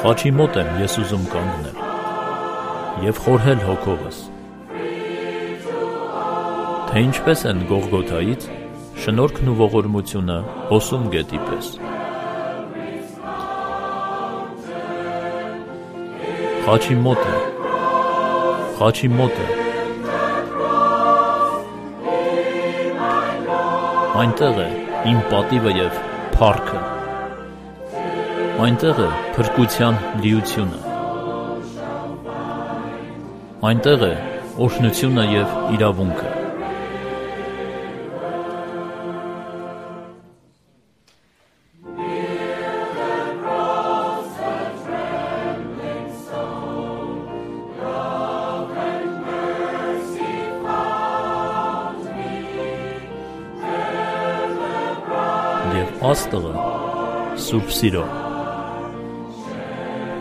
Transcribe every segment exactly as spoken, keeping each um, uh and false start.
Խաչի մոտ եմ ես ուզում կանգնել և խորհել հոգովս, թե ինչպես են Գողգոթայից շնորհքն ու ողորմությունը հոսում գետի պես։ Խաչի մոտ եմ, խաչի մոտ եմ, այնտեղ է իմ պատիվը և փառքը, այնտեղ է փրկության լիությունը, այնտեղ է օրհնությունը և իրավունքը։ Եվ աստղը սուրբ սիրո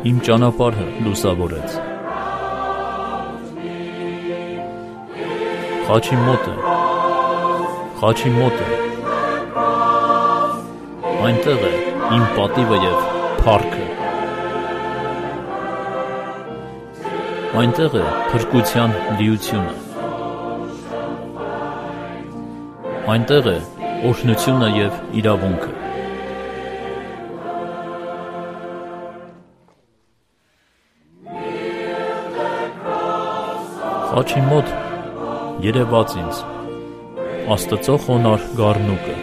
իմ ճանապարհը լուսավորեց։ Խաչի մոտ է, խաչի մոտ է, այնտեղ է իմ պատիվը և փառքը, այնտեղ է փրկության լիությունը, այնտեղ է օրհնությունը և իրավունքը։ Խաչի մոտ երևաց ինձ Աստծո խոնարհ գառնուկը,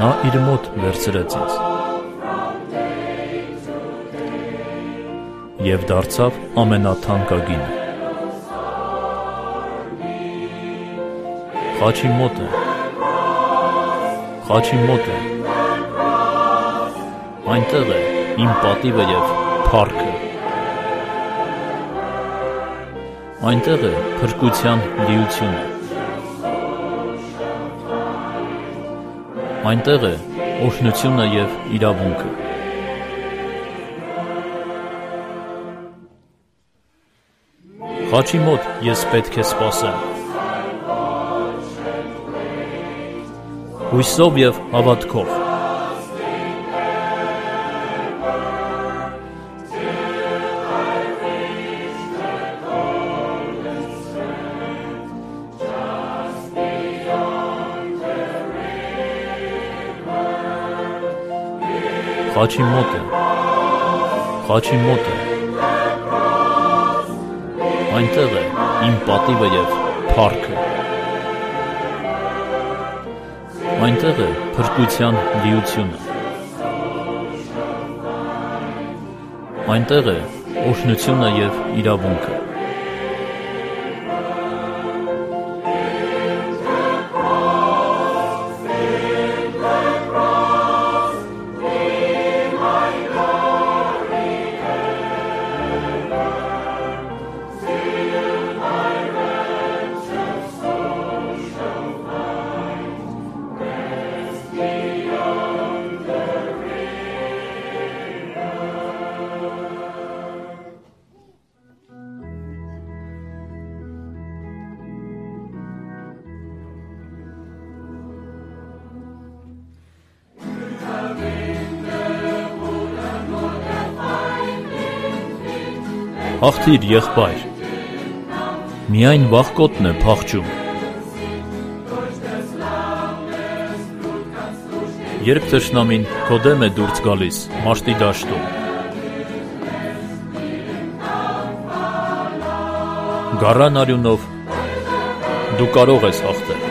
նա իր մոտ վերցրեց ինձ և դարձավ ամենաթանկագինը։ Խաչի մոտ է, խաչի մոտ է, այնտեղ է իմ պատիվը և փառքը, այնտեղ է փրկության լիությունը, այնտեղ է օրհնությունը և իրավունքը։ Խաչի մոտ ես պետք է սպասեմ հույսով և հավատքով, խաչի մոտ է, խաչի մոտ է, այնտեղ է իմ պատիվը և փառքը, այնտեղ է փրկության լիությունը, այնտեղ է օրհնությունը և իրավունքը։ Հաղթիր, եղբայր, միայն վախկոտն է փախչում։ Երբ թշնամին քո դեմ է դուրս գալիս մաշտի դաշտում, գառան արյունով դու կարող ես հաղթել։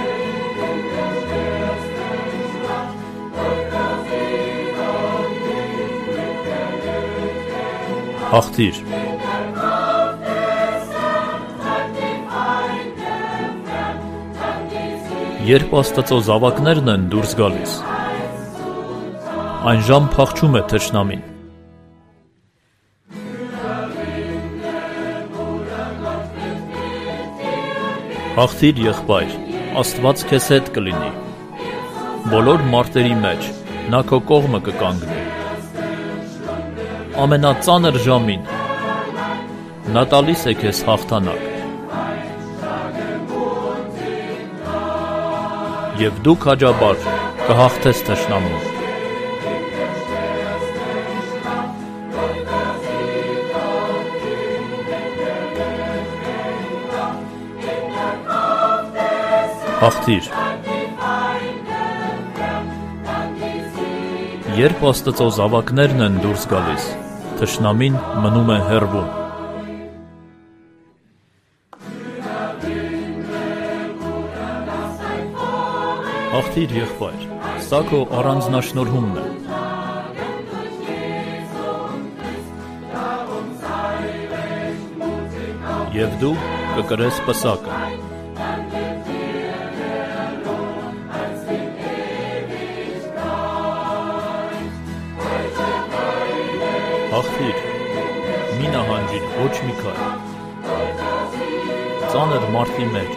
Հաղթիր։ Երբ Աստծո զավակներն են դուրս գալիս, այն ժամ փախչում է թշնամին։ Հաղթիր, եղբայր, Աստված քեզ հետ կլինի։ Բոլոր մարտերի մեջ նա քո կողմը կկանգնի։ Ամենածանր ժամին նա տալիս է քեզ հաղթանակ։ Եվ դու քաջաբար կհաղթես թշնամուն։ Հաղթիր։ Երբ Աստծո զավակներն են դուրս գալիս, թշնամին մնում է հեռվում։ Հաղթիր, եղբայր, սա քո առանձնաշնորհումն է։ Եվ դու կկրես պսակը։ Հաղթիր, մի նահանջիր ոչ մի քայլ, ծանր մարտի մեջ։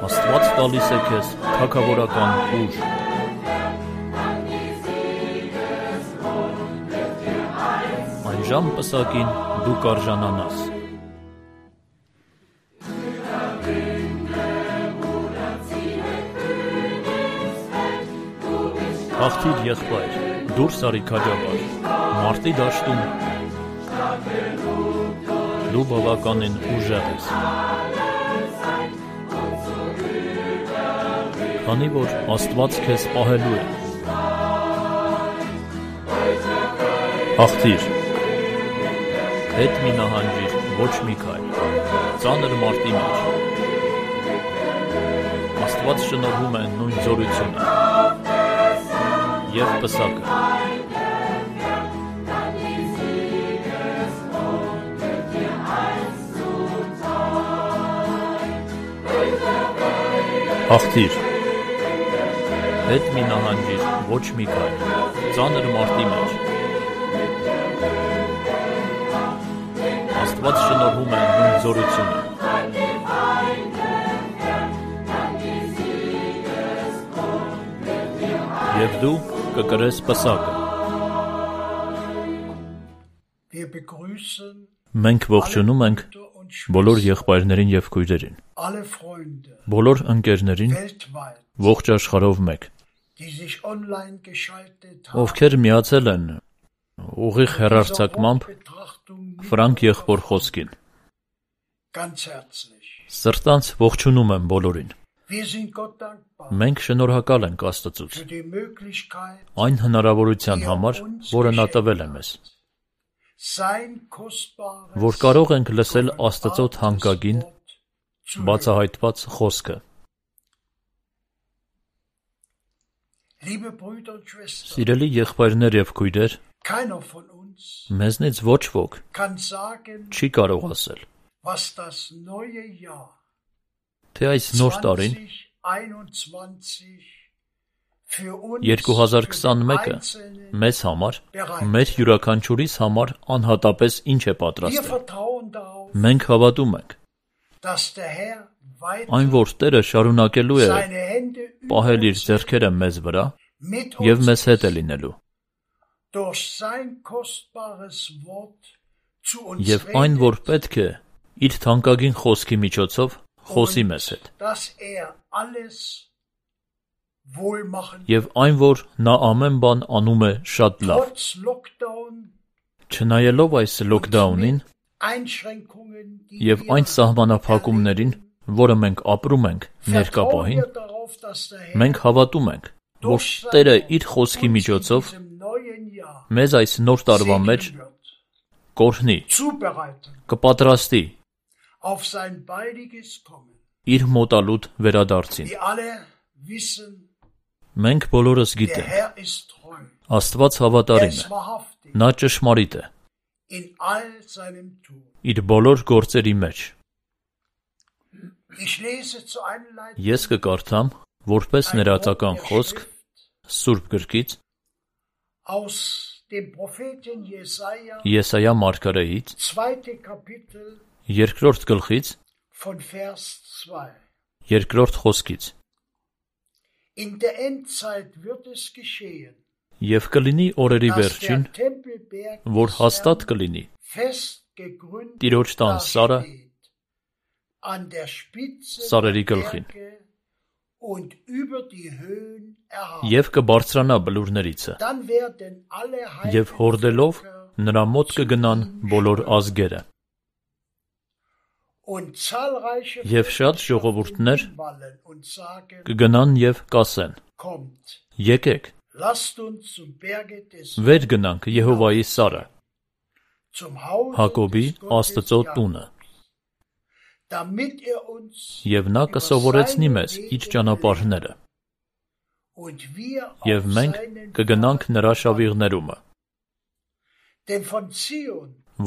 Աստված տալիս է քեզ թագավորական ուժ։ Այն ժամ պսակին դու կարժանանաս։ Հաղթիր, եղբայր, դուրս արի քաջաբար, մարտի դաշտում դու բավականին ուժեղ ես։ Քանի որ Աստված քեզ պահելու է։ Հաղթիր, հետ մի նահանջիր ոչ մի քայլ, ծանր մարտի մեջ։ Աստված շնորհում է նույն զորությունը և պսակը։ Հաղթիր, հետ մի նահանջիր ոչ մի քայլ, ծանր մարտի մեջ։ Աստված շնորհում է նույն զորությունը և դու կկրես պսակը։ Մենք ողջունում ենք բոլոր եղբայրներին և քույրերին, բոլոր ընկերներին ողջ աշխարհով մեկ, ովքեր միացել են ուղիղ հեռարձակմամբ Ֆրանկ եղբոր խոսքին։ Սրտանց ողջունում եմ բոլորին։ Մենք շնորհակալ ենք Աստծուց այն հնարավորության համար, որը նա տվել է մեզ, որ կարող ենք լսել Աստծո թանկագին բացահայտված խոսքը։ Սիրելի եղբայրներ և քույրեր, մեզնից ոչ ոք չի կարող ասել, թե այս նոր տարին երկու հազար քսանմեկը մեզ համար, մեր յուրաքանչյուրիս համար անհատապես ինչ է պատրաստել։ Մենք հավատում ենք, այն որ Տերը շարունակելու է պահել իր ձեռքերը մեզ վրա և մեզ հետ է լինելու։ Եվ այն որ պետք է իր թանկագին խոսքի միջոցով խոսի մեզ հետ։ Եվ այն որ նա ամեն բան անում է շատ լավ։ Չնայելով այս լոքդաունին և այն սահմանափակումներին, որը մենք ապրում ենք ներկա պահին, մենք հավատում ենք, որ Տերը իր խոսքի միջոցով մեզ այս նոր տարվա մեջ կօրհնի, կպատրաստի իր մոտալուտ վերադարձին։ Մենք բոլորս գիտենք, Աստված հավատարիմ է, նա ճշմարիտ է իր բոլոր գործերի մեջ։ Ես կկարդամ որպես ներածական խոսք Սուրբ գրքից Եսայիա մարգարեից երկրորդ գլխից երկրորդ խոսքից։ Եվ կլինի օրերի վերջին, որ հաստատ կլինի Տիրոջ տան սարը սարերի գլխին, և կբարձրանա բլուրներիցը, և հորդելով նրա մոտ կգնան բոլոր ազգերը։ Եվ շատ ժողովուրդներ կգնան և կասեն. եկեք, վեր գնանք Եհովայի սարը, Հակոբի Աստծո տունը, և նա կսովորեցնի մեզ իր ճանապարհները, և մենք կգնանք նրա շավիղներումը,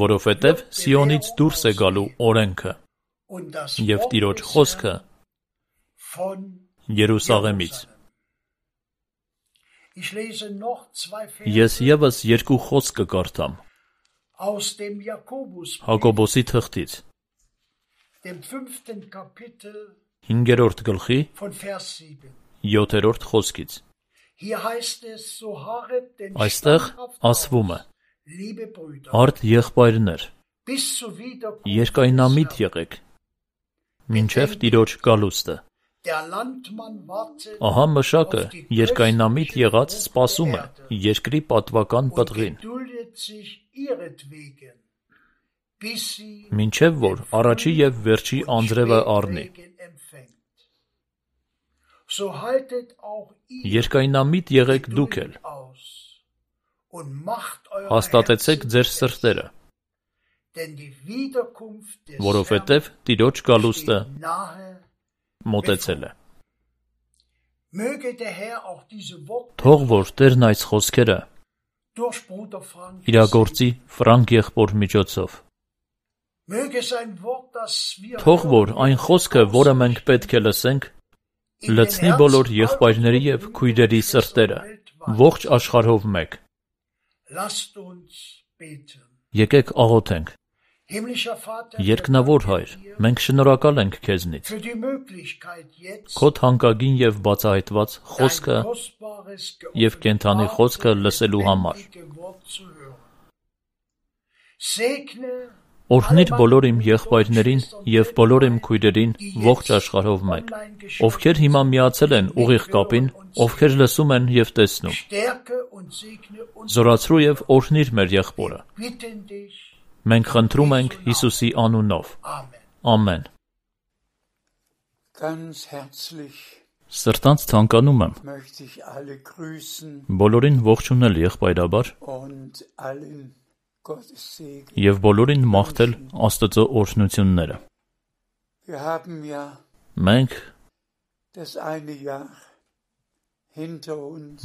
որովհետև Սիոնից դուրս է գալու օրենքը և Տիրոջ խոսքը Երուսաղեմից։ Ես ևս երկու խոսք կկարդամ Հակոբոսի թղթից, հինգերորդ գլխի յոթերորդ խոսքից։ Այստեղ ասվում է. «Արդ եղբայրներ, երկայնամիտ եղեք, մինչև Տիրոջ գալուստը։ Ահա մշակը երկայնամիտ եղած սպասում է երկրի պատվական պտղին, մինչև որ առաջի և վերջի անձրևը առնի։ Երկայնամիտ եղեք դուք էլ, հաստատեցեք ձեր սրտերը, որովհետև Տիրոջ գալուստը մոտեցել է»։ Թող որ Տերն այս խոսքերը իրագործի Ֆրանկ եղբոր միջոցով։ Թող որ այն խոսքը, որը մենք պետք է լսենք, լցնի բոլոր եղբայրների և քույրերի սրտերը, ողջ աշխարհով մեկ։ Եկեք աղոթենք։ Երկնավոր Հայր, մենք շնորհակալ ենք Քեզնից Քո թանկագին և բացահայտված խոսքը և կենդանի խոսքը լսելու համար։ Օրհնիր բոլոր իմ եղբայրներին և բոլոր իմ քույրերին ողջ աշխարհով մեկ, ովքեր հիմա միացել են ուղիղ կապին, ովքեր լսում են և տեսնում։ Զորացրու և օրհնիր մեր եղբորը։ Մենք խնդրում ենք Հիսուսի անունով։ Ամեն։ Սրտանց թանկանում եմ բոլորին ողջունել եղբայրաբար և բոլորին մաղթել Աստծո օրհնությունները։ Մենք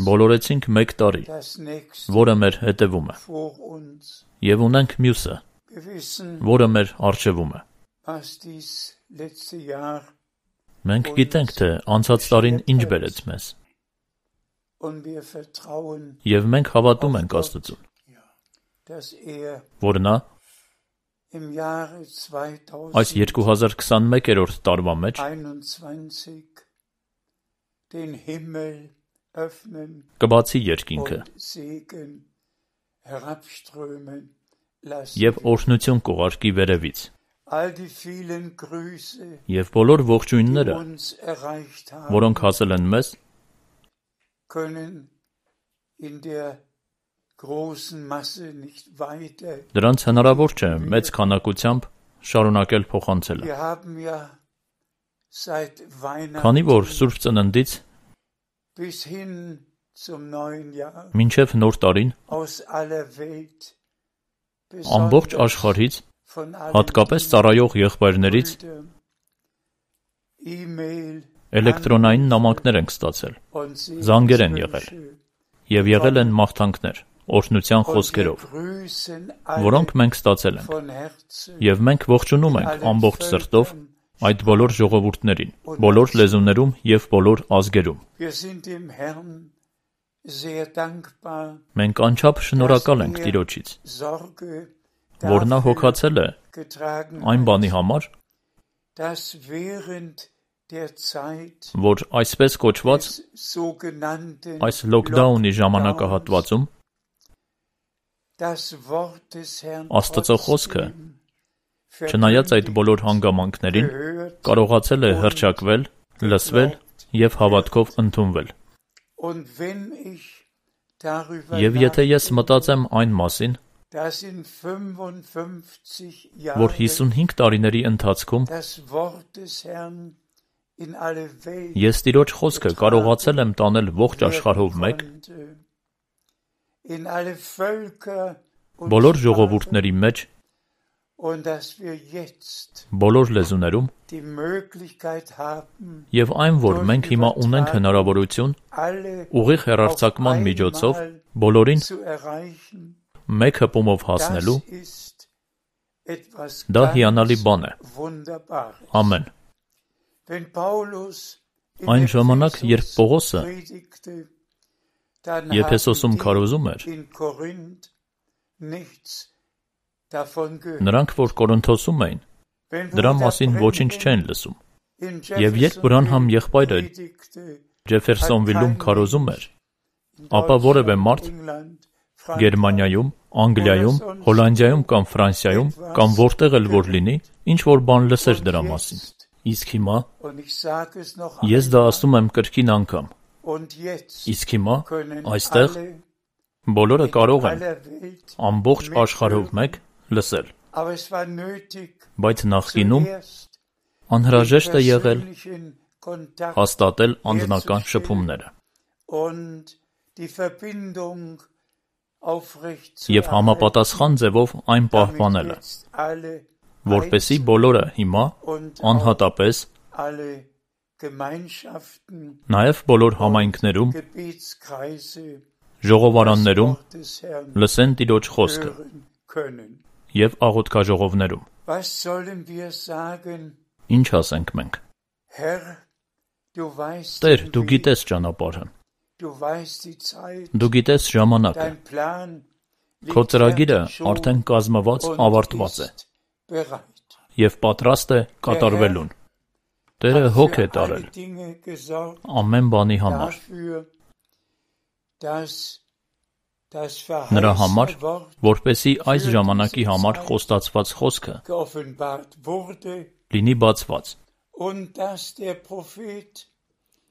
բոլորեցինք մեկ տարի, որը մեր հետևում է, և ունենք մյուսը, որը մեր առջևում է։ Մենք գիտենք, թե անցած տարին ինչ բերեց մեզ, և մենք հավատում ենք Աստծուն, որ նա այս երկու հազար քսանմեկերորդ տարվա մեջ կբացի երկինքը և օրհնություն կուղարկի վերևից, և բոլոր ողջույնները, որոնք հասել են մեզ, դրանց հնարավոր չէ մեծ քանակությամբ շարունակել փոխանցելը։ Քանի որ Սուրբ Ծննդից մինչև Նոր տարին ամբողջ աշխարհից, հատկապես ծառայող եղբայրներից, էլեկտրոնային նամակներ ենք ստացել, զանգեր են եղել, և եղել են մաղթանքներ, օրհնության խոսքերով, որոնք մենք ստացել ենք, և մենք ողջունում ենք ամբողջ սրտով այդ բոլոր ժողովուրդներին, բոլոր լեզուներում և բոլոր ազգերում։ Մենք անչափ շնորհակալ ենք Տիրոջից, որ նա հոգացել է այն բանի համար, որ այսպես կոչված այս լոքդաունի ժամանակահատվածում Աստծո խոսքը, չնայած այդ բոլոր հանգամանքներին, կարողացել է հռչակվել, լսվել և հավատքով ընդունվել։ Եվ եթե ես մտածեմ այն մասին, որ հիսունհինգ տարիների ընթացքում ես Տիրոջ խոսքը կարողացել եմ տանել ողջ աշխարհով մեկ, բոլոր ժողովուրդների մեջ, բոլոր լեզուներում, եւ այն, որ մենք հիմա ունենք հնարավորություն ուղիղ հեռարձակման միջոցով բոլորին մեկ հպումով հասնելու, դա հիանալի բան է։ Ամեն։ Այն ժամանակ, երբ Պողոսը Եփեսոսում քարոզում էր, նրանք, որ Կորինթոսում էին, դրա մասին ոչինչ չեն լսում, եւ երբ Բրանհամ եղբայրը Ջեֆերսոնվիլում քարոզում էր, ապա որևէ մարդ Գերմանիայում, Անգլիայում, Հոլանդիայում կամ Ֆրանսիայում կամ որտեղ էլ որ լինի, ինչ որ բան լսեր դրա մասին։ Իսկ հիմա ես դա ասում եմ կրկին անգամ։ Իսկ հիմա այստեղ բոլորը կարող են ամբողջ աշխարհով մեկ լսել։ Բայց նախկինում անհրաժեշտ է եղել հաստատել անձնական շփումները եւ համապատասխան ձևով այն պահպանելը, որպեսզի բոլորը հիմա անհատապես, նաեւ բոլոր համայնքներում, ժողովարաններում լսեն Տիրոջ խոսքը եւ աղոթքաժողովներում։ Ինչ ասենք մենք։ Տեր, դու գիտես ճանապարհը, դու գիտես ժամանակը, քո ծրագիրը արդեն կազմված ավարտված է եւ պատրաստ է կատարվելուն։ Տերը հոգ է տարել ամեն բանի համար։ Նրա համար, որպեսզի այս ժամանակի համար խոստացված խոսքը լինի բացված,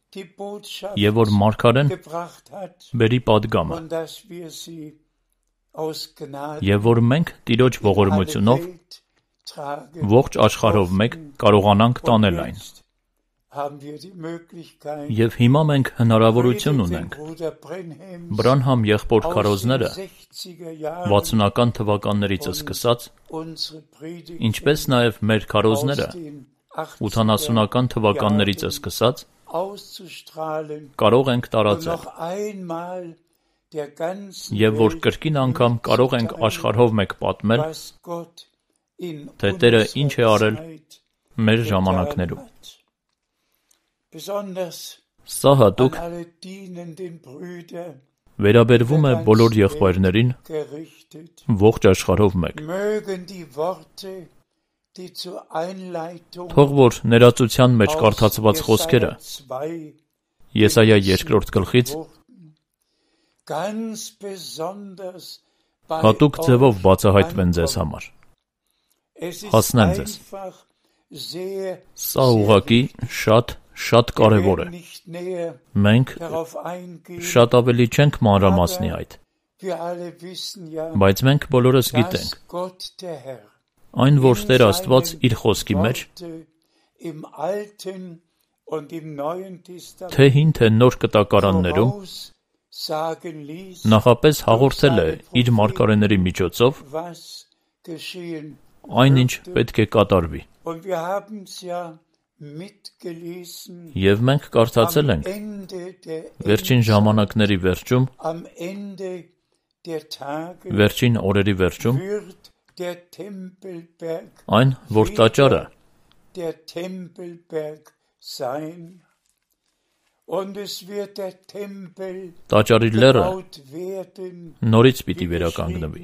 եւ որ մարգարեն բերի պատգամը, եւ որ մենք Տիրոջ ողորմությունով ողջ աշխարհով մեկ կարողանանք տանել այն։ Եվ հիմա մենք հնարավորություն ունենք Բրանհամ եղբոր քարոզները վաթսունական թվականներից սկսած, ինչպես նաև մեր քարոզները ութանասունական թվականներից սկսած, կարող ենք տարածել, եւ որ կրկին անգամ կարող ենք աշխարհով մեկ պատմել, թե Տերը ինչ է արել մեր ժամանակներում։ Սա հատուկ վերաբերվում է բոլոր եղբայրներին ողջ աշխարհով մեկ։ Թող որ ներածության մեջ կարդացված խոսքերը Եսայա երկրորդ գլխից հատուկ ձևով բացահայտվեն ձեզ համար, հասնեն ձեզ։ Սա ուղղակի շատ շատ կարևոր է։ Մենք շատ ավելի չենք մանրամասնի այդ, բայց մենք բոլորս գիտենք, այն որ Տեր Աստված իր խոսքի մեջ, թե հին թե նոր կտակարաններում, նախապես հաղորդել է իր մարգարեների միջոցով այն ինչ պետք է կատարվի։ Եվ մենք կարդացել ենք վերջին ժամանակների վերջում, վերջին օրերի վերջում, այն, որ տաճարը տաճարի լեռը նորից պիտի վերականգնվի,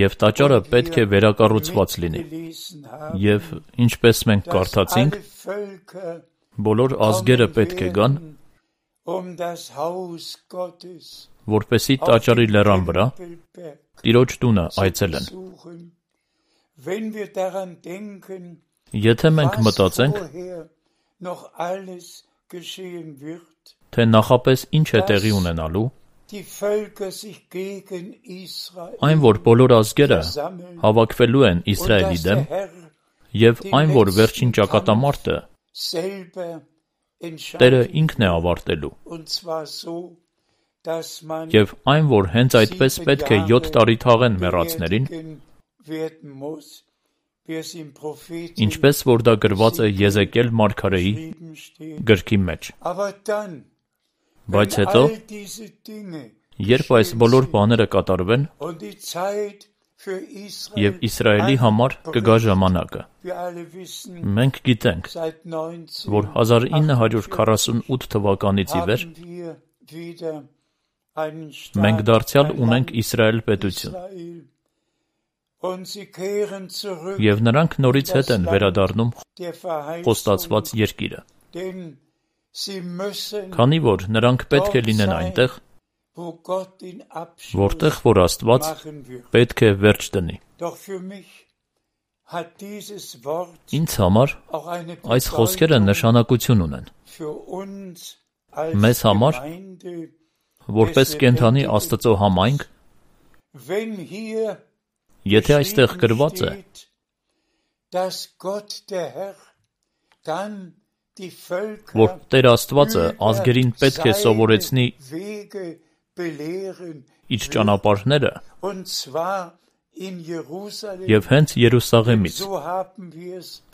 եւ տաճարը պետք է վերակառուցված լինի, եւ ինչպես մենք կարդացինք, բոլոր ազգերը պետք է գան, որպեսզի տաճարի լեռան վրա Տիրոջ տունը այցելեն։ Եթե մենք մտածենք, թե նախապես ինչ է տեղի ունենալու, Այն, որ բոլոր ազգերը հավաքվելու են Իսրայելի դեմ, և այն, որ վերջին ճակատամարտը Տերը ինքն է ավարտելու, և այն, որ հենց այդպես պետք է յոթ տարի թաղեն մեռածներին, ինչպես որ դա գրված է Եզեկիել մարգարեի գրքի մեջ։ Բայց հետո, երբ այս բոլոր բաները կատարվեն, և Իսրայելի համար կգա ժամանակը։ Մենք գիտենք, որ հազար ինը հարյուր քառասունութ թվականից ի վեր մենք դարձյալ ունենք Իսրայել պետություն, և նրանք նորից հետ են վերադառնում խոստացված երկիրը, քանի որ նրանք պետք է լինեն այնտեղ, որտեղ որ Աստված պետք է վերջ դնի։ Ինձ համար այս խոսքերը նշանակություն ունեն։ Մեզ համար, որպես կենդանի Աստծո համայնք, եթե այստեղ գրված է, որ Տեր Աստվածը ազգերին պետք է սովորեցնի իր ճանապարհները, և հենց Երուսաղեմից,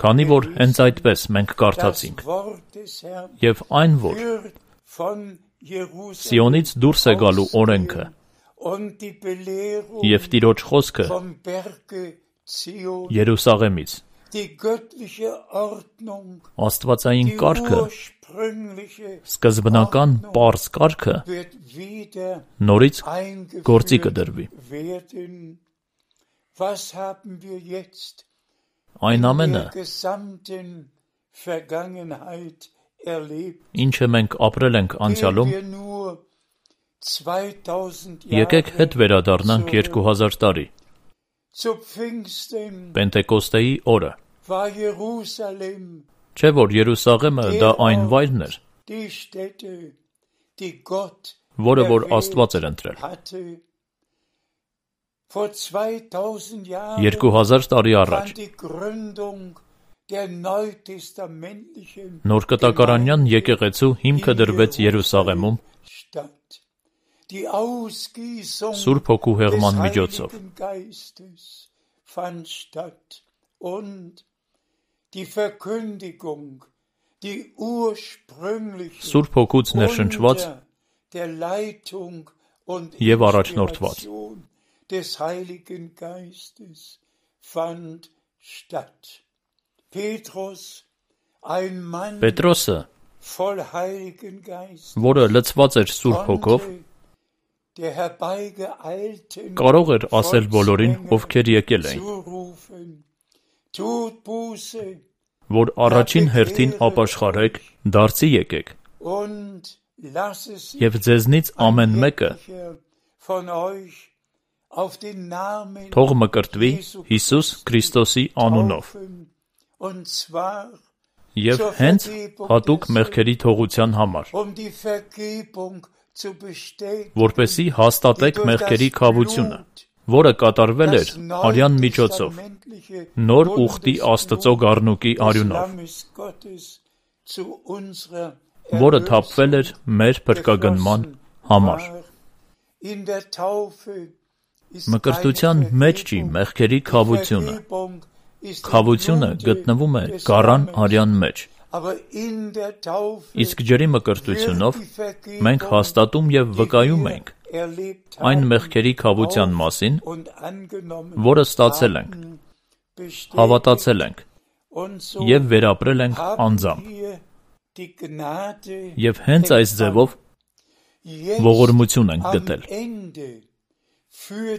քանի որ հենց այդպես մենք կարդացինք, և այն, որ Սիոնից դուրս է գալու օրենքը, և Տիրոջ խոսքը Երուսաղեմից, Աստվածային կարգը, սկզբնական պարզ կարգը նորից գործի կդրվի։ Այն ամենը, ինչը մենք ապրել ենք անցյալում, եկեք հետ վերադառնանք երկու հազար տարի, Պենտեկոստեի օրը, չէ՞ որ Երուսաղեմը դա այն վայրն էր, որը որ Աստված էր ընտրել։ Երկու հազար տարի առաջ Նոր կտակարանյան եկեղեցու հիմքը դրվեց Երուսաղեմում Սուրբ Հոգու հեղման միջոցով։ Սուրբ Հոգուց ներշնչված և առաջնորդված։ Պետրոսը, որը լցված էր Սուրբ Հոգով, կարող էր ասել բոլորին, ովքեր եկել էին, որ առաջին հերթին ապաշխարեք, դարձի եկեք, և ձեզնից ամեն մեկը թող մկրտվի Հիսուս Քրիստոսի անունով, և հենց հատուկ մեղքերի թողության համար, որպեսզի հաստատեք մեղքերի քավությունը, որը կատարվել էր արյան միջոցով, նոր ուխտի Աստծո գառնուկի արյունով, որը թափվել էր մեր փրկագնման համար։ Մկրտության մեջ չի մեղքերի քավությունը, քավությունը գտնվում է գառան արյան մեջ, իսկ ջրի մկրտությունով մենք հաստատում և վկայում ենք այն մեղքերի քավության մասին, որը ստացել ենք, հավատացել ենք և վերապրել ենք անձամբ, և հենց այս ձևով ողորմություն ենք գտել։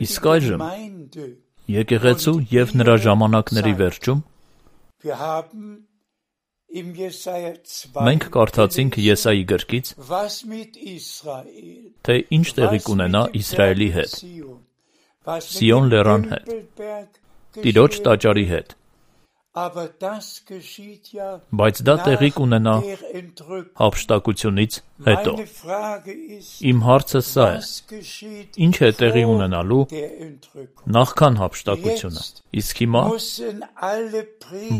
Իսկ այժմ եկեղեցու և նրա ժամանակների վերջում մենք կարդացինք Եսայի գրքից, թե ինչ տեղի կունենա Իսրայելի հետ, Սիոն լեռան հետ, Տիրոջ տաճարի հետ, Բայց դա տեղի կունենա հափշտակությունից հետո։ Իմ հարցը սա է. ինչ է տեղի ունենալու նախքան հափշտակությունը։ Իսկ հիմա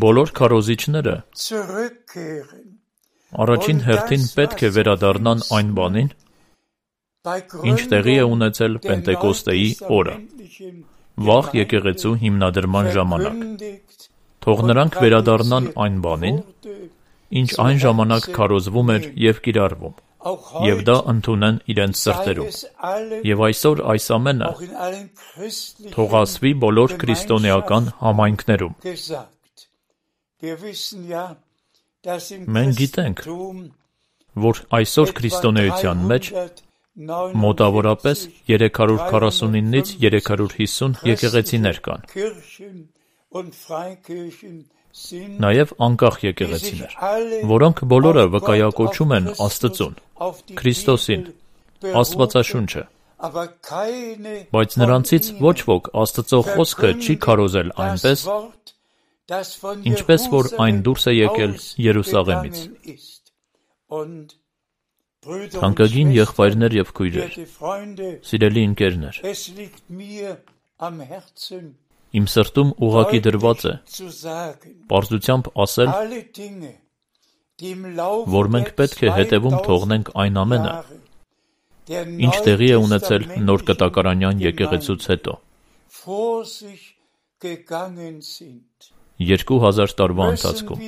բոլոր քարոզիչները առաջին հերթին պետք է վերադառնան այն բանին, ինչ տեղի է ունեցել Պենտեկոստեի օրը, վաղ եկեղեցու հիմնադրման ժամանակ։ Թող նրանք վերադառնան այն բանին, ինչ այն ժամանակ քարոզվում էր և կիրառվում, և դա ընդունեն իրենց սրտերում։ Եվ այսօր այս ամենը թող ասվի բոլոր քրիստոնեական համայնքներում։ Մենք գիտենք, որ այսօր քրիստոնեության մեջ մոտավորապես երեք հարյուր քառասունինից երեք հարյուր հիսուն եկեղեցիներ կան, նաև անկախ եկեղեցիներ, որոնք բոլորը վկայակոչում են Աստծուն, Քրիստոսին, Աստվածաշունչը, բայց նրանցից ոչ ոք Աստծո խոսքը չի քարոզել այնպես, ինչպես որ այն դուրս է եկել Երուսաղեմից։ Թանկագին եղբայրներ և քույրեր, սիրելի ընկերներ, իմ սրտում ուղղակի դրված է պարզությամբ ասել, որ մենք պետք է հետևում թողնենք այն ամենը, ինչ տեղի է ունեցել նոր կտակարանյան եկեղեցուց հետո, երկու հազար տարվա ընթացքում։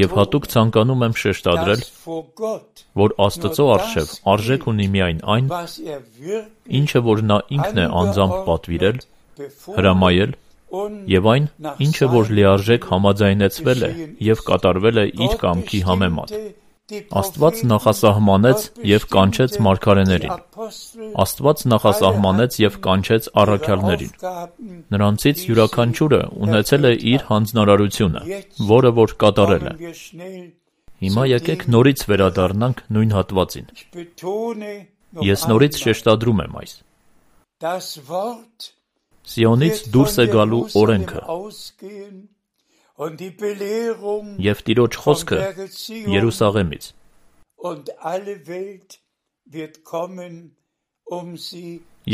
Եվ հատուկ ցանկանում եմ շեշտադրել, որ Աստծո առջև արժեք ունի միայն այն, ինչը որ նա ինքն է անձամբ պատվիրել, հրամայել, և այն, ինչը որ լիարժեք համաձայնեցվել է և կատարվել է իր կամքի համեմատ։ Աստված նախասահմանեց և կանչեց մարգարեներին։ Աստված նախասահմանեց և կանչեց առաքյալներին։ Նրանցից յուրաքանչյուրը ունեցել է իր հանձնարարությունը, որը որ կատարել է։ Հիմա եկեք նորից վերադառնանք նույն հատվածին։ Ես նորից շեշտադրում եմ այս. Սիոնից դուրս է գալու օրենքը և Տիրոջ խոսքը Երուսաղեմից։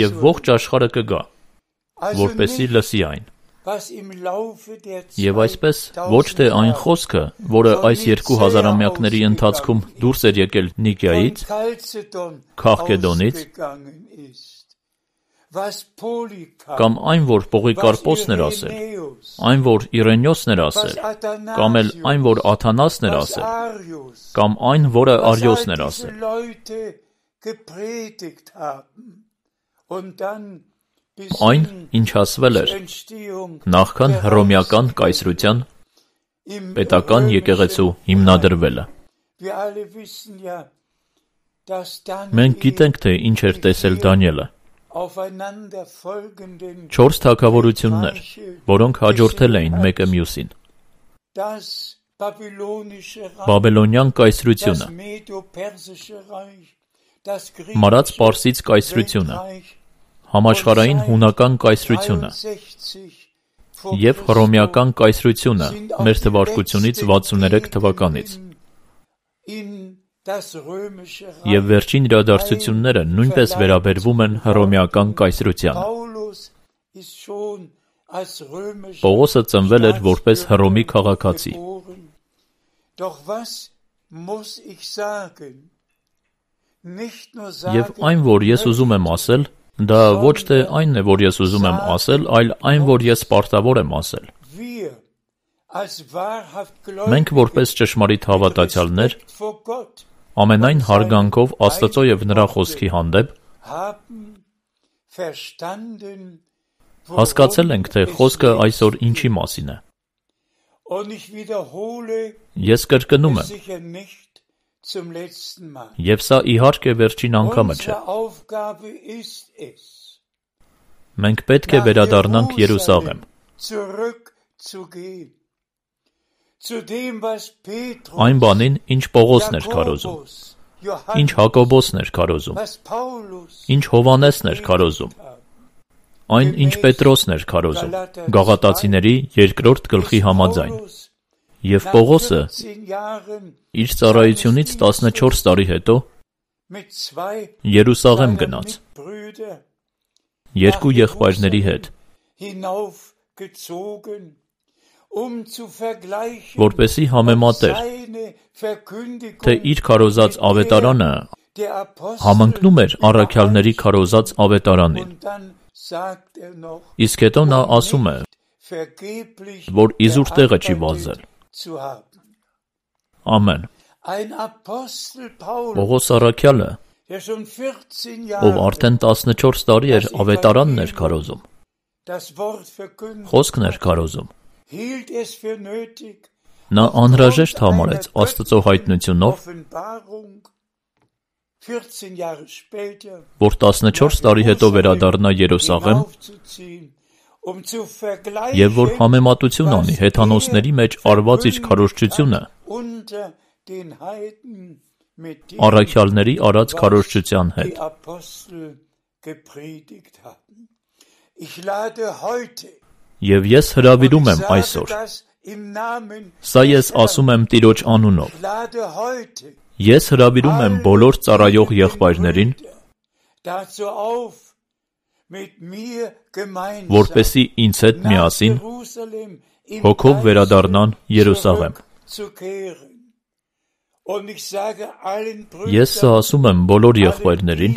Եվ ողջ աշխարհը կգա, որպեսզի լսի այն։ Եվ այսպես ոչ թե այն խոսքը, որը այս երկու հազարամյակների ընթացքում դուրս էր եկել Նիկիայից, Քաղկեդոնից, կամ այն, որ Պողիկարպոսն էր ասել, այն, որ Իրենիոսն էր ասել, կամ էլ այն, որ Աթանասն էր ասել, կամ այն, որը Արիոսն էր ասել։ Այն, ինչ ասվել էր նախքան Հռոմեական կայսրության պետական եկեղեցու հիմնադրվելը։ Մենք գիտենք, թե ինչ էր տեսել Դանիելը։ Չորս թագավորություններ, որոնք հաջորդել էին մեկը մյուսին։ Բաբելոնյան կայսրությունը, Մարած Պարսից կայսրությունը, համաշխարհային հունական կայսրությունը և Հռոմեական կայսրությունը մեր թվարկությունից վաթսուներեք թվականից։ Եվ վերջին իրադարձությունները նույնպես վերաբերվում են Հռոմեական կայսրությանը։ Պողոսը ծնվել էր որպես Հռոմի քաղաքացի։ Եվ այն, որ ես ուզում եմ ասել, դա ոչ թե այնն է, որ ես ուզում եմ ասել, այլ այն, որ ես պարտավոր եմ ասել։ Մենք որպես ճշմարիտ հավատացյալներ ամենայն հարգանքով Աստծո և նրա խոսքի հանդեպ հասկացել ենք, թե խոսքը այսօր ինչի մասին է։ Ես կրկնում եմ, և սա իհարկե վերջին անգամը չէ։ Մենք պետք է վերադառնանք Երուսաղեմ։ Այն բանին, ինչ Պողոսն էր քարոզում, ինչ Հակոբոսն էր քարոզում, ինչ Հովհաննեսն էր քարոզում, Այն ինչ Պետրոսն էր քարոզում, Գաղատացիների երկրորդ գլխի համաձայն, եւ Պողոսը իր ծառայությունից տասնչորս տարի հետո Երուսաղեմ գնաց երկու եղբայրների հետ, որպեսզի համեմատեր, թե իր քարոզած ավետարանը համընկնում էր առաքյալների քարոզած ավետարանին։ Իսկ հետո նա ասում է, որ իզուր տեղը չի վազել։ Ամեն։ Պողոս առաքյալը, ով արդեն տասնչորս տարի էր ավետարանն էր քարոզում, խոսքն էր քարոզում, նա անհրաժեշտ համարեց Աստծո հայտնությունով, որ տասնչորս տարի հետո վերադառնա Երուսաղեմ եւ որ համեմատություն անի հեթանոսների մեջ արված իր քարոզչությունը առաքյալների արած քարոզչության հետ։ Եվ ես հրավիրում եմ այսօր, սա ես ասում եմ Տիրոջ անունով, ես հրավիրում եմ բոլոր ծառայող եղբայրներին, որպեսզի ինձ հետ միասին հոգով վերադառնան Երուսաղեմ։ Ես սա ասում եմ բոլոր եղբայրներին,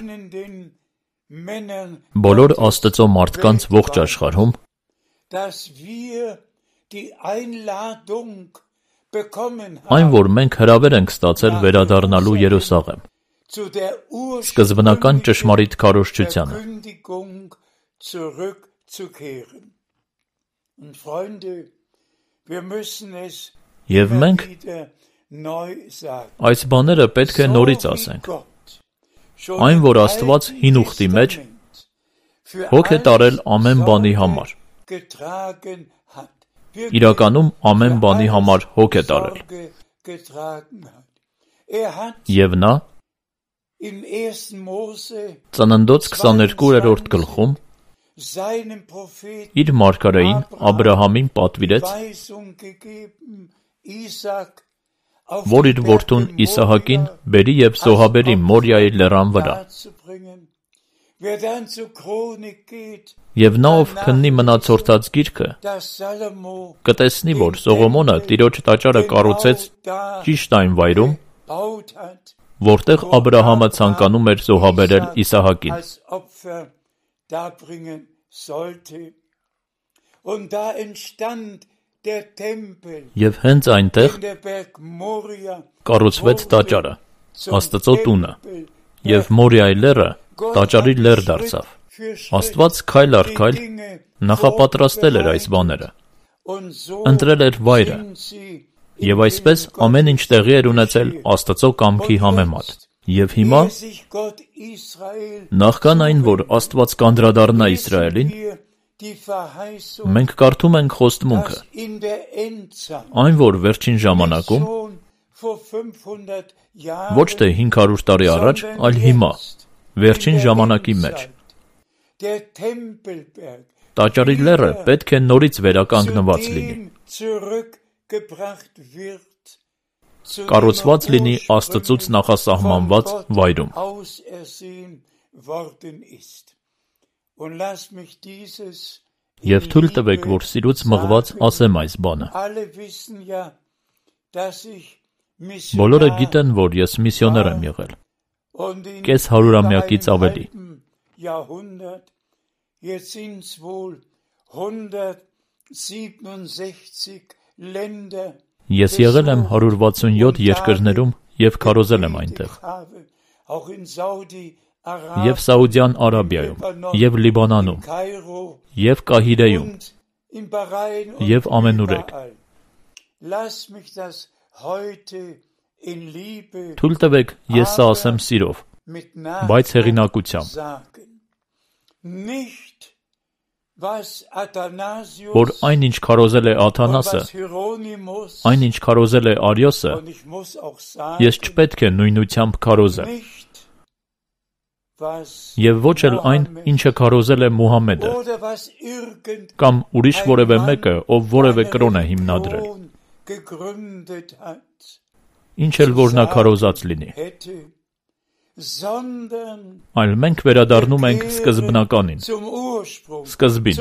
բոլոր Աստծո մարդկանց ողջ աշխարհում, այն, որ մենք հրավեր ենք ստացել վերադառնալու Երուսաղեմ, սկզբնական ճշմարիտ քարոզչությանը։ Եվ մենք այս բաները պետք է նորից ասենք։ Այն, որ Աստված հին ուխտի մեջ հոգ է տարել ամեն բանի համար, իրականում ամեն բանի համար հոգ է տարել։ Եվ նա Ծննդոց քսաներկուերորդ գլխում իր մարգարեին Աբրահամին պատվիրեց, որ իր որդուն Իսահակին բերի և զոհաբերի Մորիայի լեռան վրա։ Եվ նա, ով քննի մնացորդած գիրքը, կտեսնի, որ Սողոմոնը Տիրոջ տաճարը կառուցեց ճիշտ այն վայրում, որտեղ Աբրահամը ցանկանում էր զոհաբերել Իսահակին։ Եվ հենց այնտեղ կառուցվեց տաճարը, Աստծո տունը, և Մորիայի լեռը տաճարի լեռ դարձավ։ Աստված քայլ առ քայլ նախապատրաստել էր այս բաները, ընտրել էր վայրը, եւ այսպես ամեն ինչ տեղի էր ունեցել Աստծո կամքի համեմատ։ Եվ հիմա, նախքան այն, որ Աստված կանդրադառնա Իսրայելին, մենք կարդում ենք խոստմունքը, այն, որ վերջին ժամանակում, ոչ թե հինգ հարյուր տարի առաջ, այլ հիմա, վերջին ժամանակի մեջ, տաճարի լեռը պետք է նորից վերականգնված լինի, կառուցված լինի Աստծուց նախասահմանված վայրում։ Եվ թույլ տվեք, որ սիրուց մղված ասեմ այս բանը։ Բոլորը գիտեն, որ ես միսիոներ եմ եղել, կես հարյուրամյակից ավելի։ Ես եղել եմ հարյուր վաթսունյոթ երկրներում և քարոզել եմ այնտեղ, և Սաուդյան Արաբիայում, և Լիբանանում, և Կահիրեում, և ամենուրեք։ Թույլ տվեք, ես սա ասեմ սիրով, բայց հեղինակությամբ, որ այն, ինչ քարոզել է Աթանասը, այն, ինչ քարոզել է Արիոսը, ես չպետք է նույնությամբ քարոզեմ։ եւ ոչ էլ այն, ինչը քարոզել է Մուհամեդը, կամ ուրիշ որևէ մեկը, ով որևէ կրոն է հիմնադրել, ինչ էլ որ նա քարոզած լինի, այլ մենք վերադառնում ենք սկզբնականին, սկզբին։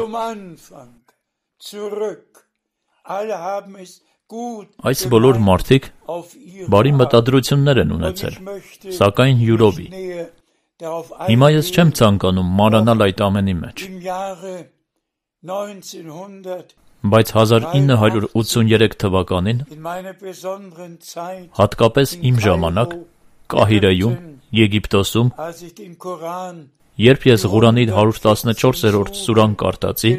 Այս բոլոր մարդիկ բարի մտադրություններ են ունեցել, սակայն յուրովի։ Հիմա ես չեմ ցանկանում մանրանալ այդ ամենի մեջ, բայց հազար ինը հարյուր ութսուներեք թվականին, հատկապես իմ ժամանակ, Կահիրեում, Եգիպտոսում, երբ ես Ղուրանի հարյուր տասնչորսերորդ սուրան կարդացի,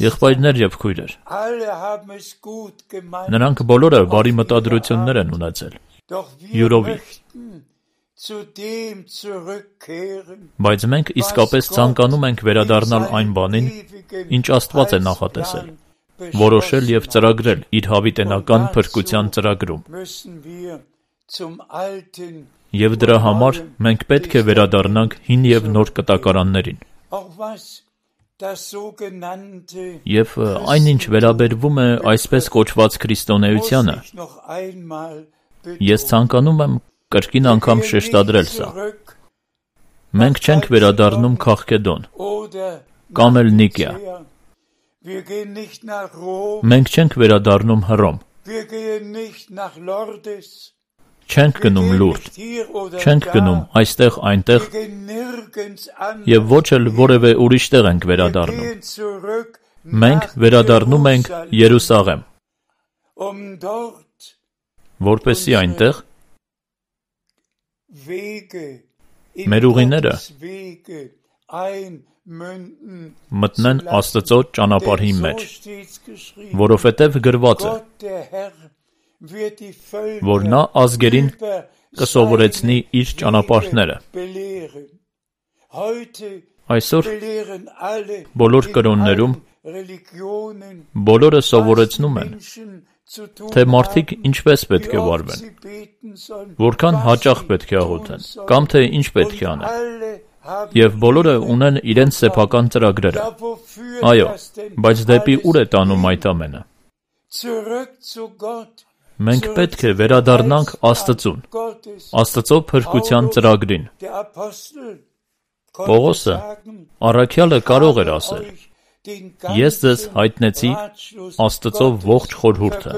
եղբայրներ եւ քույրեր, նրանք բոլորը բարի մտադրություններ են ունեցել, յուրովի։ Բայց մենք իսկապես ցանկանում ենք վերադառնալ այն բանին, ինչ Աստված է նախատեսել, որոշել եւ ծրագրել իր հավիտենական փրկության ծրագրում։ Եվ դրա համար մենք պետք է վերադառնանք հին եւ նոր կտակարաններին։ Եվ այնինչ վերաբերվում է այսպես կոչված քրիստոնեությանը, ես ցանկանում եմ կրկին անգամ շեշտադրել սա. մենք չենք վերադառնում Քաղքեդոն կամ էլ Նիկիա, մենք չենք վերադառնում Հռոմ, չենք գնում Լուրդ, չենք գնում այստեղ այնտեղ եւ ոչ էլ որևէ ուրիշ տեղ ենք վերադառնում, մենք վերադառնում ենք Երուսաղեմ, որպեսզի այնտեղ մեր ուղիները մտնեն Աստծո ճանապարհի մեջ, որովհետև գրված է, որ նա ազգերին կսովորեցնի իր ճանապարհները։ Այսօր բոլոր կրոններում բոլորը սովորեցնում են, թե մարդիկ ինչպես պետք է վարվեն, որքան հաճախ պետք է աղոթեն, կամ թե ինչ պետք է անեն, եւ բոլորը ունեն իրենց սեփական ծրագրերը։ Այո, բայց դեպի ուր է տանում այդ ամենը։ Մենք պետք է վերադառնանք Աստծուն, Աստծո փրկության ծրագրին։ Պողոսը, առաքյալը կարող էր ասել. Ես ձեզ հայտնեցի Աստծո ողջ խորհուրդը։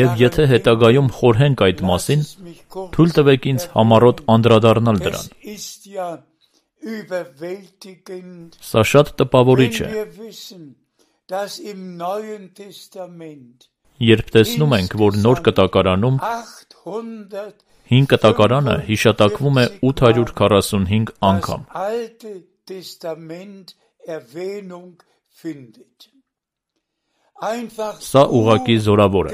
Եվ եթե հետագայում խորհենք այդ մասին, թույլ տվեք ինձ համառոտ անդրադառնալ դրան։ Սա շատ տպավորիչ է, երբ տեսնում ենք, որ նոր կտակարանում հին կտակարանը հիշատակվում է ութ հարյուր քառասունհինգ անգամ։ Սա ուղղակի զորավոր է։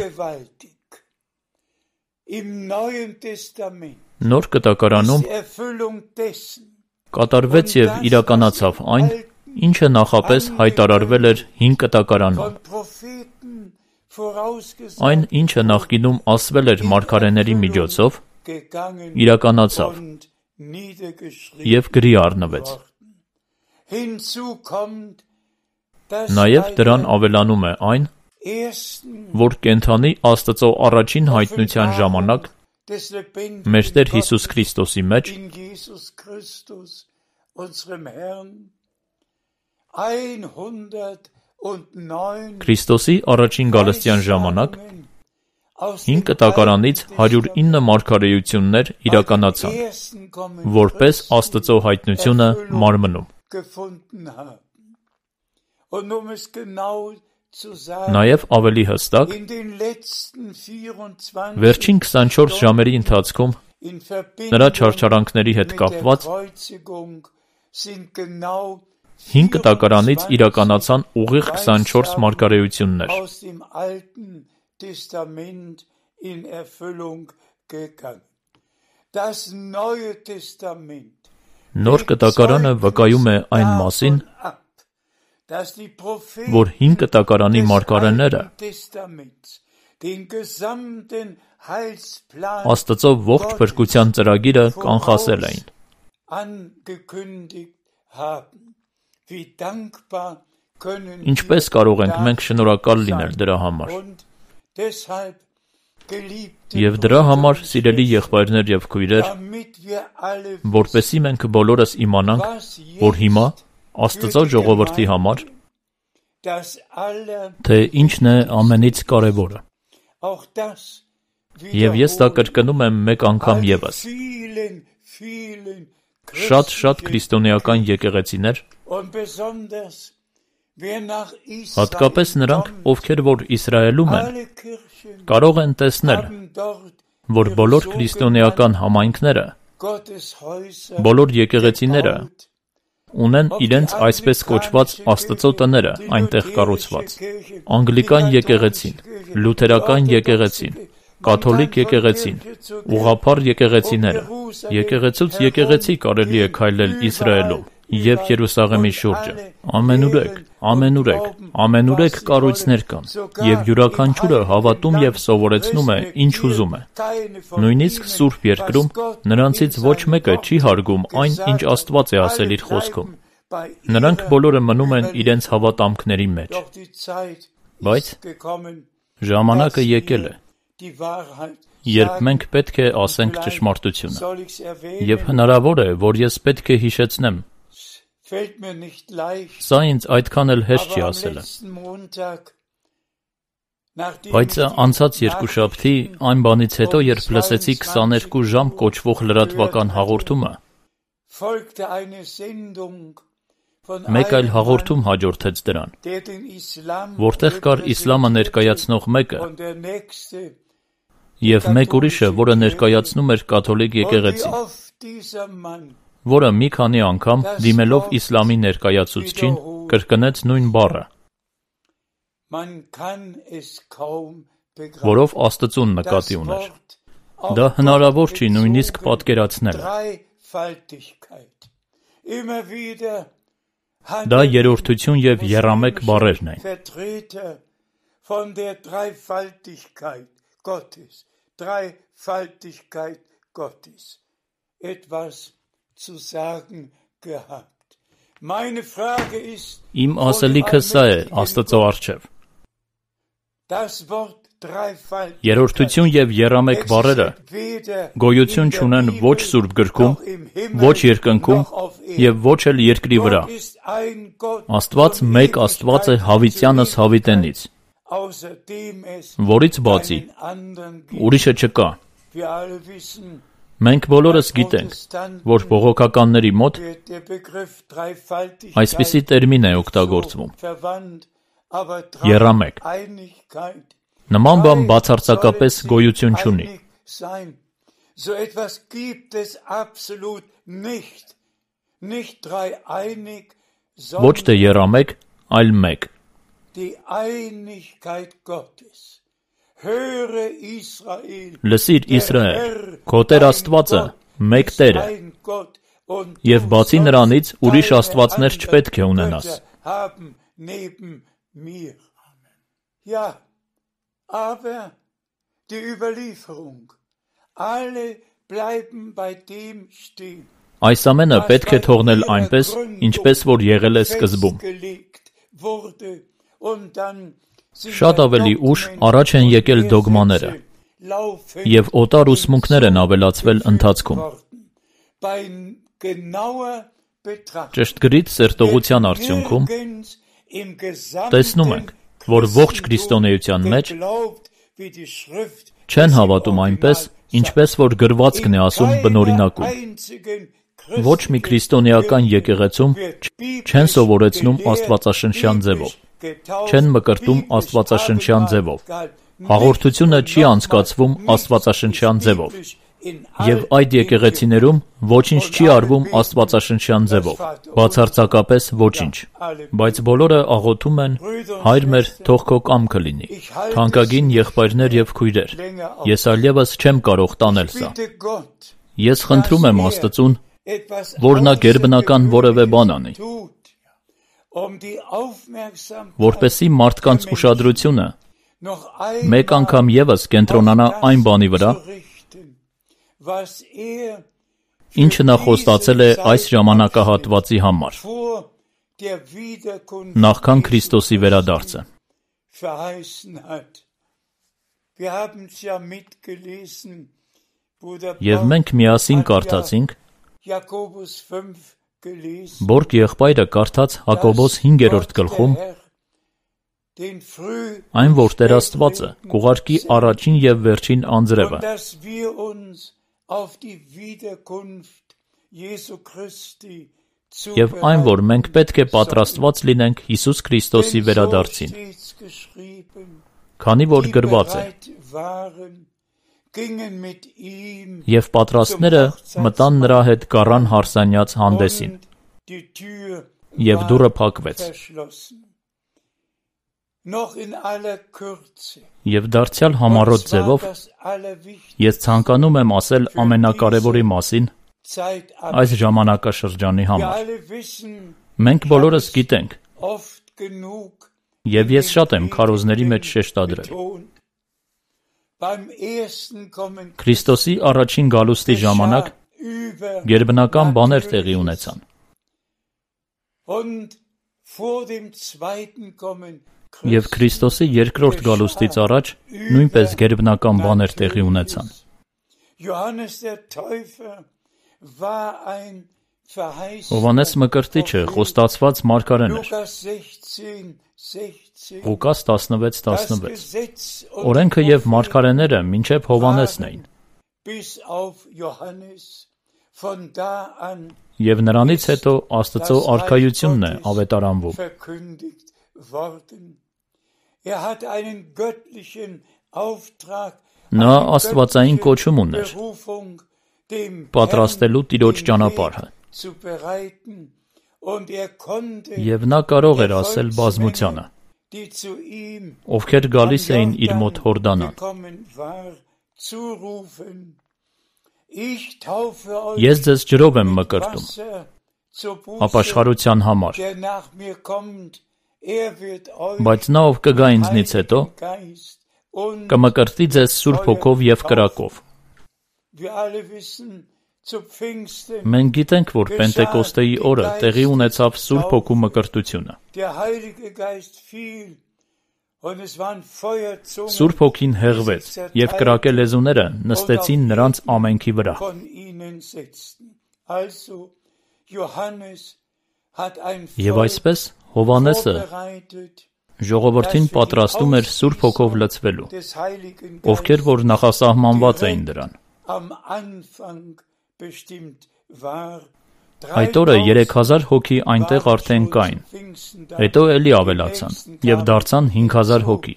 Նոր կտակարանում կատարվեց եւ իրականացավ այն, ինչը նախապես հայտարարվել էր հին կտակարանում։ Այն, ինչը նախկինում ասվել էր մարգարեների միջոցով, իրականացավ եւ գրի առնվեց։ Նաև դրան ավելանում է այն, որ կենդանի Աստծո առաջին հայտնության ժամանակ մեր Տեր Հիսուս Քրիստոսի մեջ Քրիստոսի առաջին գալստյան ժամանակ հին կտակարանից հարյուր ինը մարգարեություններ իրականացան, որպես Աստծո հայտնությունը մարմնում։ Նաև ավելի հստակ, վերջին քսանչորս ժամերի ընթացքում նրա չարչարանքների հետ կապված հին կտակարանից իրականացան ուղիղ քսանչորս մարգարեություններ։ Նոր կտակարանը վկայում է այն մասին, որ հին կտակարանի մարգարեները Աստծո ողջ փրկության ծրագիրը կանխասել էին։ Ինչպես կարող ենք մենք շնորհակալ լինել դրա համար։ Եվ դրա համար, սիրելի եղբայրներ եւ քույրեր, որպեսզի մենք բոլորս իմանանք, որ հիմա Աստծո ժողովրդի համար թե ինչն է ամենից կարևորը։ Եվ ես դա կրկնում եմ մեկ անգամ ևս։ Շատ-շատ քրիստոնեական եկեղեցիներ, հատկապես նրանք, ովքեր որ Իսրայելում են, կարող են տեսնել, որ բոլոր քրիստոնեական համայնքները, բոլոր եկեղեցիները ունեն իրենց այսպես կոչված Աստծո տները այնտեղ կառուցված։ Անգլիկան եկեղեցին, լութերական եկեղեցին, կաթոլիկ եկեղեցին, ուղղափառ եկեղեցիները, եկեղեցուց եկեղեցի կարելի է քայլել Իսրայելում եւ Երուսաղեմի շուրջը։ Ամենուրեք, ամենուրեք, ամենուրեք կառույցներ կան, եւ յուրաքանչյուրը հավատում եւ սովորեցնում է ինչ ուզում է։ Նույնիսկ Սուրբ Երկրում նրանցից ոչ մեկը չի հարգում այն, ինչ Աստված է ասել իր խոսքում։ Նրանք բոլորը մնում են իրենց հավատամքների մեջ։ Բայց ժամանակը եկել է, երբ մենք պետք է ասենք ճշմարտությունը։ Եւ հնարավոր է, որ ես պետք է հիշեցնեմ։ Սա ինձ այդքան էլ հեշտ չի ասելը։ Բայց անցած երկուշաբթի այն բանից հետո, երբ լսեցի քսաներկու ժամ կոչվող լրատվական հաղորդումը, մեկ այլ հաղորդում հաջորդեց դրան, որտեղ կար իսլամը ներկայացնող մեկը եւ մեկ ուրիշը, որը ներկայացնում էր կաթոլիկ եկեղեցին, որը մի քանի անգամ դիմելով իսլամի ներկայացուցչին կրկնեց նույն բառը, որով Աստծուն նկատի ուներ։ Դա հնարավոր չի նույնիսկ պատկերացնել։ Դա երրորդություն եւ եռամեկ բառերն են։ Իմ ասելիքը սա է Աստծո առջև։ Երրորդություն եւ եռամեկ բառերը գոյություն չունեն ոչ Սուրբ գրքում, ոչ երկնքում եւ ոչ էլ երկրի վրա։ Աստված մեկ Աստված է հավիտյանս հավիտենից, որից բացի ուրիշը չկա։ Մենք բոլորս գիտենք, որ բողոքականների մոտ այսպիսի տերմին է օգտագործվում՝ եռամեկ։ Նման բան բացարձակապես գոյություն չունի։ Ոչ թե եռամեկ, այլ մեկ։ Լսիր Իսրայել, քո Տեր Աստվածը մեկ Տեր է, եւ բացի նրանից ուրիշ աստվածներ չպետք է ունենաս։ Այս ամենը պետք է թողնել այնպես, ինչպես որ եղել է սկզբում։ Շատ ավելի ուշ առաջ են եկել դոգմաները, եւ օտար ուսմունքներ են ավելացվել ընթացքում։ Ճշտգրիտ սերտողության արդյունքում տեսնում ենք, որ ողջ քրիստոնեության մեջ չեն հավատում այնպես, ինչպես որ գրվածքն է ասում բնօրինակում։ Ոչ մի քրիստոնեական եկեղեցում չեն սովորեցնում աստվածաշնչյան ձևով, չեն մկրտում աստվածաշնչյան ձևով, հաղորդությունը չի անցկացվում աստվածաշնչյան ձևով, եւ այդ եկեղեցիներում ոչինչ չի արվում աստվածաշնչյան ձևով, բացարձակապես ոչինչ, բայց բոլորը աղոթում են. «Հայր մեր, թող քո կամքը լինի»։ Թանկագին եղբայրներ եւ քույրեր, ես այլևս չեմ կարող տանել սա։ Ես խնդրում եմ Աստծուն, որ նա գերբնական որևէ բան անի, որպեսզի մարդկանց ուշադրությունը մեկ անգամ ևս կենտրոնանա այն բանի վրա, ինչը նա խոստացել է այս ժամանակահատվածի համար, նախքան Քրիստոսի վերադարձը։ Եվ մենք միասին կարդացինք, Բորգ եղբայրը կարդաց Հակոբոս հինգերորդ գլխում, այն, որ Տեր Աստվածը կուղարկի առաջին և վերջին անձրևը, և այն, որ մենք պետք է պատրաստված լինենք Հիսուս Քրիստոսի վերադարձին, քանի որ գրված է. և պատրաստները մտան նրա հետ գառան հարսանյաց հանդեսին, և դուռը փակվեց։ Եվ դարձյալ համառոտ ձևով ես ցանկանում եմ ասել ամենակարևորի մասին այս ժամանակաշրջանի համար։ Մենք բոլորս գիտենք, և ես շատ եմ քարոզների մեջ շեշտադրել, Քրիստոսի առաջին գալուստի ժամանակ գերբնական բաներ տեղի ունեցան։ Եվ Քրիստոսի երկրորդ գալուստից առաջ նույնպես գերբնական բաներ տեղի ունեցան։ Հովհաննես Մկրտիչը խոստացված մարգարեն էր։ Ղուկաս տասնվեց տասնվեց։ Օրենքը և մարգարեները մինչև Հովհաննեսն էին։ Եվ նրանից հետո Աստծո արքայությունն է ավետարանվում։ Նա աստվածային կոչում ուներ պատրաստելու Տիրոջ ճանապարհը։ Եվ նա կարող էր ասել բազմությանը, ովքեր գալիս էին իր մոտ Հորդանան. Ես ձեզ ջրով եմ մկրտում ապաշխարության համար, բայց նա, ով կգա ինձնից հետո, կմկրտի ձեզ Սուրբ Հոգով և կրակով։ Մենք գիտենք, որ Պենտեկոստեի օրը տեղի ունեցավ Սուրբ Հոգու մկրտությունը։ Սուրբ Հոգին հեղվեց, և կրակե լեզուները նստեցին նրանց ամենքի վրա։ Եվ այսպես Հովհաննեսը ժողովրդին պատրաստում էր Սուրբ Հոգով լցվելու, ովքեր որ նախասահմանված էին դրան։ Այդ օրը երեք հազար հոգի այնտեղ արդեն կային, հետո էլի ավելացան և դարձան հինգ հազար հոգի։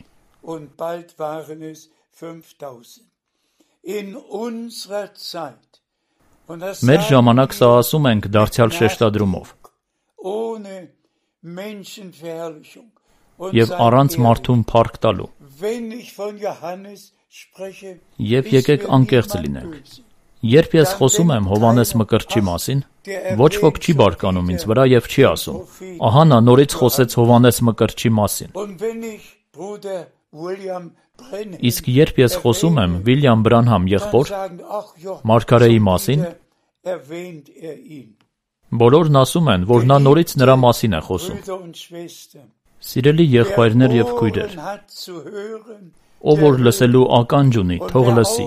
Մեր ժամանակ սա ասում ենք դարձյալ շեշտադրումով և առանց մարդուն փառք տալու։ Եվ եկեք անկեղծ լինենք։ Երբ ես խոսում եմ Հովհաննես Մկրտչի մասին, ոչ ոք չի բարկանում ինձ վրա և չի ասում. ահա նա նորից խոսեց Հովհաննես Մկրտչի մասին։ Իսկ երբ ես խոսում եմ Վիլյամ Բրանհամ եղբոր մարգարեի մասին, բոլորն ասում են, որ նա նորից նրա մասին է խոսում։ Սիրելի եղբայրներ և քույրեր, ով որ լսելու ականջ ունի, թող լսի,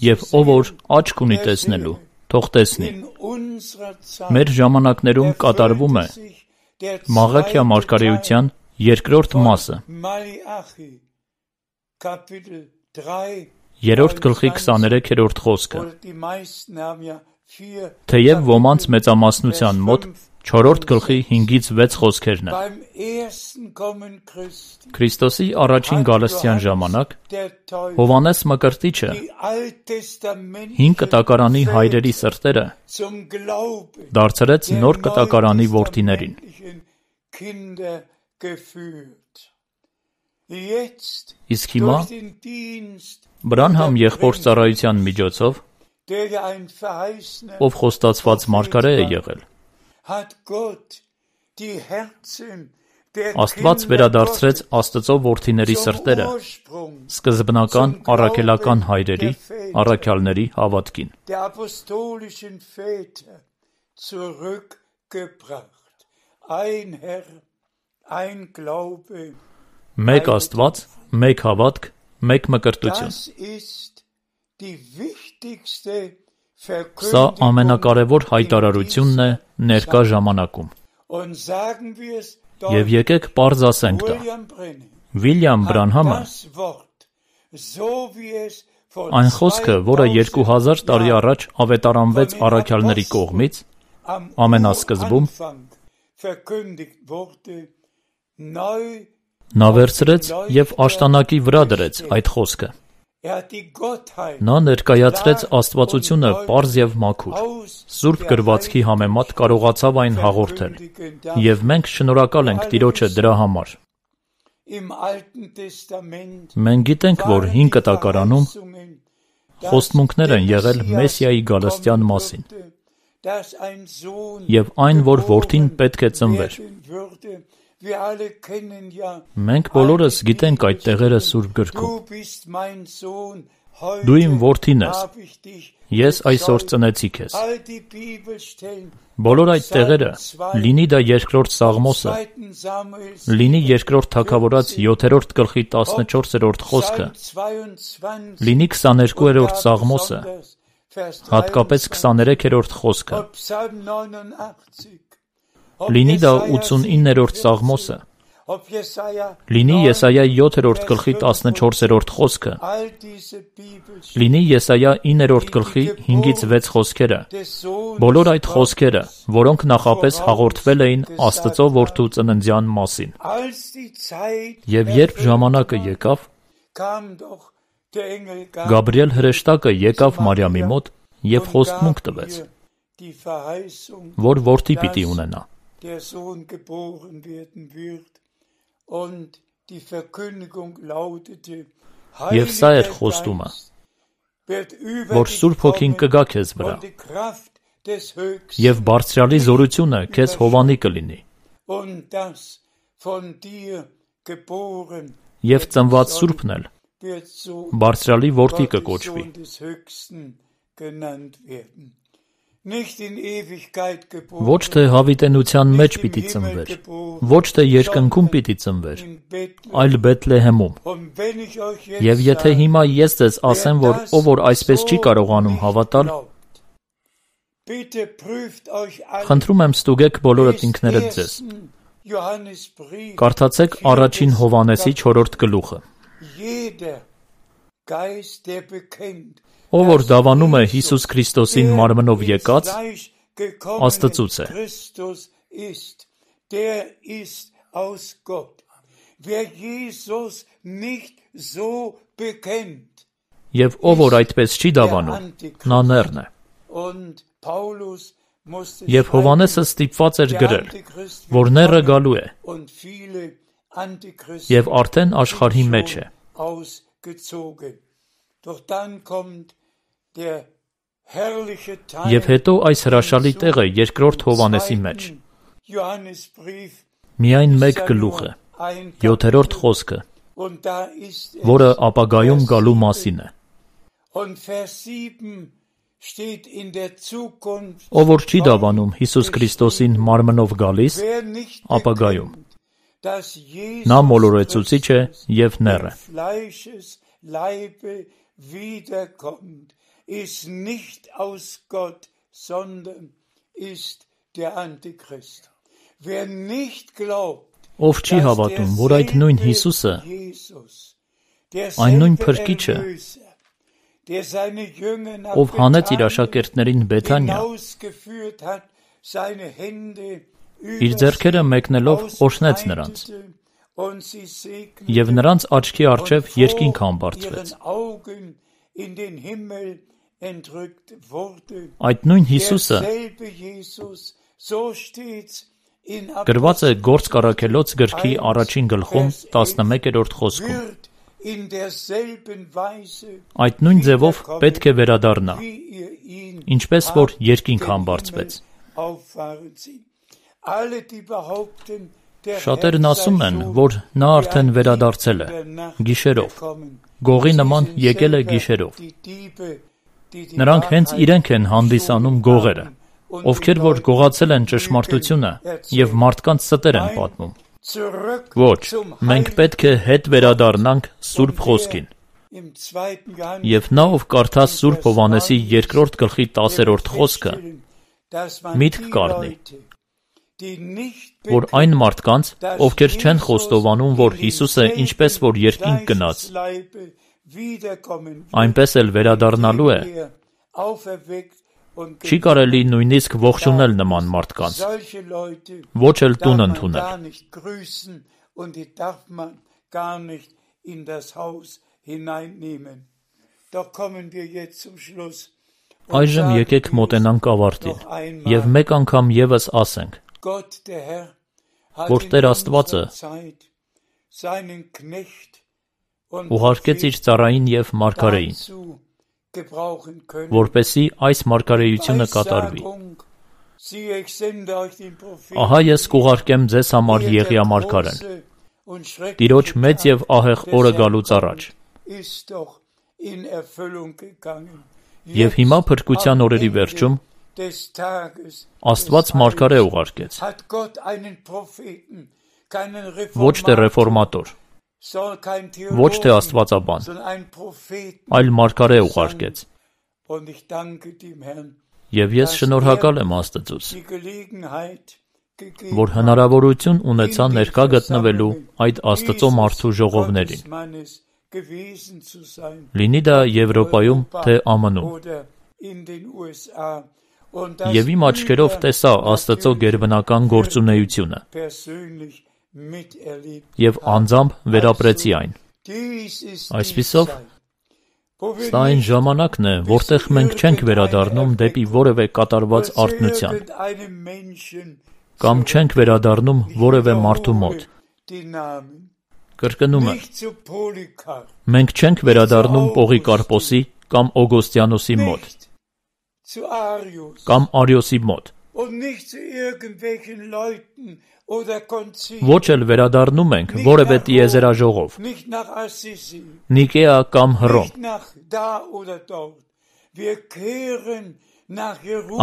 և ով որ աչք ունի տեսնելու, թող տեսնի։ Մեր ժամանակներում կատարվում է Մաղաքիա մարգարեության երկրորդ մասը, երրորդ գլխի քսաներեքերորդ խոսքը, թեև ոմանց մեծամասնության մոտ չորրորդ գլխի հինգից վեց խոսքերն են։ Քրիստոսի առաջին գալստյան ժամանակ Հովհաննես Մկրտիչը հին կտակարանի հայրերի սրտերը դարձրեց նոր կտակարանի որդիներին։ Իսկ հիմա Բրանհամ եղբոր ծառայության միջոցով, ով խոստացված մարգարե է եղել, Աստված վերադարձրեց Աստծո որդիների սրտերը սկզբնական առաքելական հայրերի, առաքյալների հավատքին։ Մեկ Աստված, մեկ հավատք, մեկ մկրտություն։ Սա ամենակարևոր հայտարարությունն է ներկա ժամանակում։ Եվ եկեք պարզ ասենք դա։ Վիլյամ Բրանհամը այն խոսքը, որը երկու հազար տարի առաջ ավետարանվեց առաքյալների կողմից, ամենասկզբում, նա վերցրեց և աշտանակի վրա դրեց այդ խոսքը։ Նա ներկայացրեց աստվածությունը պարզ և մաքուր, Սուրբ գրվածքի համեմատ կարողացավ այն հաղորդել, և մենք շնորհակալ ենք Տիրոջը դրա համար։ Մենք գիտենք, որ Հին Կտակարանում խոստմունքներ են եղել Մեսիայի գալստյան մասին, և այն, որ որդին պետք է ծնվեր։ Մենք բոլորս գիտենք այդ տեղերը Սուրբ գրքում։ Դու իմ որդին ես, ես այսօր ծնեցի քեզ։ Բոլոր այդ տեղերը, լինի դա երկրորդ Սաղմոսը, լինի երկրորդ Թագավորաց յոթերորդ գլխի տասնչորսերորդ խոսքը, լինի քսաներկուերորդ Սաղմոսը, հատկապես քսաներեքերորդ խոսքը, լինի դա ութսունիններորդ Սաղմոսը, լինի Եսայա յոթերորդ գլխի տասնչորսերորդ խոսքը, լինի Եսայա իններորդ գլխի հինգից վեց խոսքերը, բոլոր այդ խոսքերը, որոնք նախապես հաղորդվել էին Աստծո որդու ծննդյան մասին։ Եվ երբ ժամանակը եկավ, Գաբրիել հրեշտակը եկավ Մարիամի մոտ և խոստմունք տվեց, որ որդի պիտի ունենա։ Եվ սա էր խոստումը, որ Սուրբ Հոգին կգա քեզ վրա, և Բարձրյալի զորությունը քեզ հովանի կլինի, և ծնված Սուրբն էլ Բարձրյալի որդի կկոչվի։ Ոչ թե հավիտենության մեջ պիտի ծնվեր, ոչ թե երկնքում պիտի ծնվեր, այլ Բեթլեհեմում։ Եվ եթե հիմա ես ձեզ ասեմ, որ ով որ այսպես չի կարողանում հավատալ, խնդրում եմ ստուգեք բոլորդ ինքներդ ձեզ։ Կարդացեք առաջին Հովհաննեսի չորրորդ գլուխը։ Ով որ դավանում է Հիսուս Քրիստոսին մարմնով եկած, Աստծուց է։ Եվ ով որ այդպես չի դավանում, նա նեռն է։ Եվ Հովհաննեսը ստիպված էր գրել, որ նեռը գալու է, և արդեն աշխարհի մեջ է։ Եվ հետո այս հրաշալի տեղը երկրորդ Հովհաննեսի մեջ։ Միայն մեկ գլուխ է, յոթերորդ խոսքը, որը ապագայում գալու մասին է։ Ով որ չի դավանում Հիսուս Քրիստոսին մարմնով գալիս, ապագայում, նա մոլորեցուցիչ է և նեռ է։ Ով չի հավատում, որ այդ նույն Հիսուսը, այն նույն Փրկիչը, ով հանեց իր աշակերտներին Բեթանիա, իր ձեռքերը մեկնելով օրհնեց նրանց, և նրանց աչքի առջև երկինք համբարձվեց։ Այդ նույն Հիսուսը գրված է Գործք առաքելոց գրքի առաջին գլխում տասնմեկերորդ խոսքում։ Այդ նույն ձևով պետք է վերադառնա, ինչպես որ երկինք համբարձվեց։ Շատերն ասում են, որ նա արդեն վերադարձել է, գիշերով, գողի նման եկել է գիշերով։ Նրանք հենց իրենք են հանդիսանում գողերը, ովքեր որ գողացել են ճշմարտությունը և մարդկանց ստեր են պատմում։ Ոչ, մենք պետք է հետ վերադառնանք Սուրբ Խոսքին։ Եվ նա, ով կարդա Սուրբ Հովհաննեսի երկրորդ գլխի տասերորդ խոսքը, միտք կառնի, որ այն մարդկանց, ովքեր չեն խոստովանում, որ Հիսուսը ինչպես որ երկինք գնաց, այնպես էլ վերադառնալու է, չի կարելի նույնիսկ ողջունել նման մարդկանց, ոչ էլ տուն ընդունել։ Այժմ եկեք մոտենանք ավարտին և մեկ անգամ ևս ասենք, որ Տեր Աստվածը ուղարկեց իր ծառային և մարգարեին, որպեսզի այս մարգարեությունը կատարվի։ Ահա ես կուղարկեմ ձեզ համար Եղիա մարգարեն, Տիրոջ մեծ և ահեղ օրը գալուց առաջ։ Եվ հիմա փրկության օրերի վերջում Աստված մարգարե ուղարկեց, ոչ թե ռեֆորմատոր, ոչ թե աստվածաբան, այլ մարգարե ուղարկեց։ Եվ ես շնորհակալ եմ Աստծուց, որ հնարավորություն ունեցա ներկա գտնվելու այդ Աստծո մարդու ժողովներին, լինի դա Եվրոպայում, թե ԱՄՆ-ում։ Եվ իմ աչքերով տեսա Աստծո գերբնական գործունեությունը և անձամբ վերապրեցի այն։ Այսպիսով, սա այն ժամանակն է, որտեղ մենք չենք վերադառնում դեպի որևէ կատարված արթնության, կամ չենք վերադառնում որևէ մարդու մոտ։ Կրկնում եմ, մենք չենք վերադառնում Պողիկարպոսի կամ Օգոստիանոսի մոտ, կամ Արիոսի մոտ, ոչ էլ վերադառնում ենք որևէ տիեզերաժողով, Նիկեա կամ Հռոմ,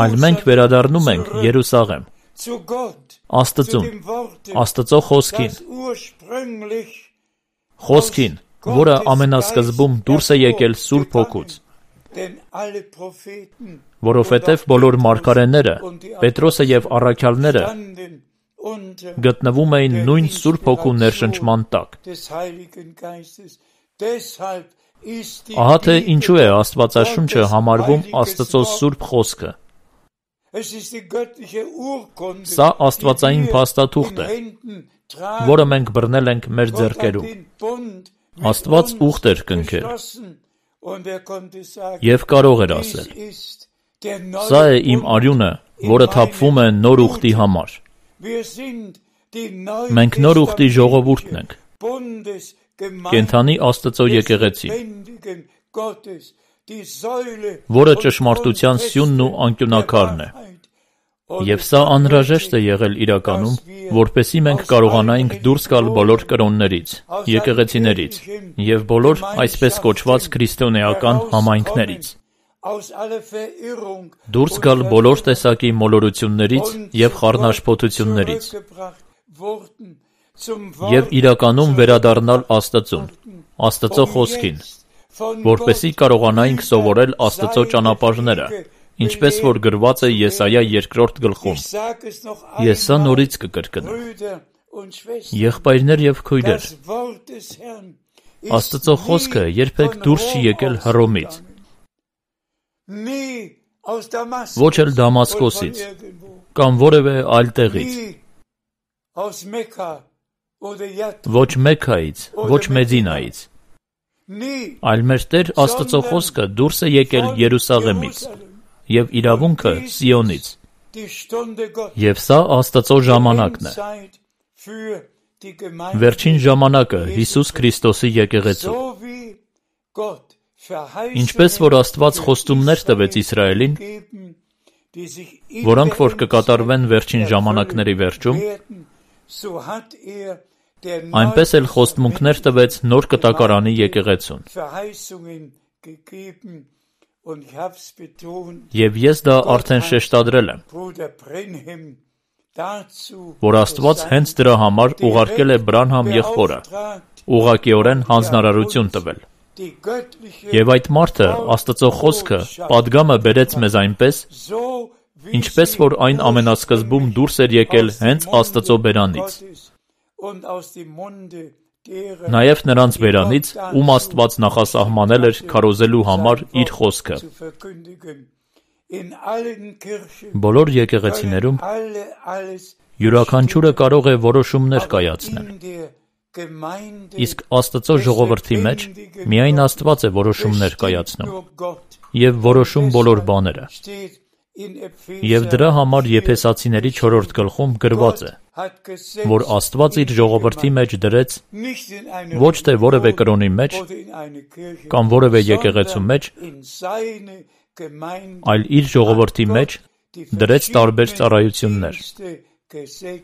այլ մենք վերադառնում ենք Երուսաղեմ, Աստծուն, Աստծո Խոսքին, Խոսքին, որը ամենասկզբում դուրս է եկել Սուրբ Հոգուց, որովհետև բոլոր մարգարեները, Պետրոսը և առաքյալները գտնվում էին նույն Սուրբ Հոգու ներշնչման տակ։ Ահա թե ինչու է Աստվածաշունչը համարվում Աստծո Սուրբ Խոսքը։ Սա աստվածային փաստաթուղթ է, որը մենք բռնել ենք մեր ձեռքերում։ Աստված ուխտ էր կնքել և կարող էր ասել. «Սա է իմ արյունը, որը թափվում է նոր ուխտի համար»։ Մենք նոր ուխտի ժողովուրդն ենք, կենդանի Աստծո եկեղեցին, որը ճշմարտության սյունն ու անկյունակարն է։ Եվ սա անհրաժեշտ է եղել իրականում, որպեսզի մենք կարողանայինք դուրս գալ բոլոր կրոններից, եկեղեցիներից և բոլոր այսպես կոչված քրիստոնեական համայնքներից, դուրս գալ բոլոր տեսակի մոլորություններից և խառնաշփոթություններից և իրականում վերադառնալ Աստծուն, Աստծո Խոսքին, որպեսզի կարողանայինք սովորել Աստծո ճանապարհները, ինչպես որ գրված է Եսայա երկրորդ գլխում։ Ես սա նորից կկրկնեմ։ Եղբայրներ և քույրեր, Աստծո Խոսքը երբեք դուրս չի եկել Հռոմից, ոչ էլ Դամասկոսից, կամ որևէ այլ տեղից, ոչ Մեքքայից, ոչ Մեդինայից, այլ մեր Տեր Աստծո Խոսքը դուրս է եկել Երուսաղեմից և իրավունքը Սիոնից, և սա Աստծո ժամանակն է, վերջին ժամանակը Հիսուս Քրիստոսի եկեղեցու։ Ինչպես որ Աստված խոստումներ տվեց Իսրայելին, որոնք որ կկատարվեն վերջին ժամանակների վերջում, Այնպես էլ խոստմունքներ տվեց նոր կտակարանի եկեղեցուն։ Եվ ես դա արդեն շեշտադրել եմ, որ Աստված հենց դրա համար ուղարկել է Բրանհամ եղբորը, ուղղակիորեն հանձնարարություն տվել։ Եվ այդ մարդը Աստծո խոսքը պատգամը բերեց մեզ այնպես, ինչպես որ այն ամենասկզբում դուրս էր եկել հենց Աստծո բերանից, նաև նրանց բերանից, ում Աստված նախասահմանել էր քարոզելու համար իր խոսքը։ Բոլոր եկեղեցիներում յուրաքանչյուրը կարող է որոշումներ կայացնել, իսկ Աստծո ժողովրդի մեջ միայն Աստված է որոշումներ կայացնում և որոշում բոլոր բաները։ Եվ դրա համար Եփեսացիների չորրորդ գլխում գրված է, որ Աստված իր ժողովրդի մեջ դրեց ոչ թե որևէ կրոնի մեջ կամ որևէ եկեղեցու մեջ, այլ իր ժողովրդի մեջ դրեց տարբեր ծառայություններ,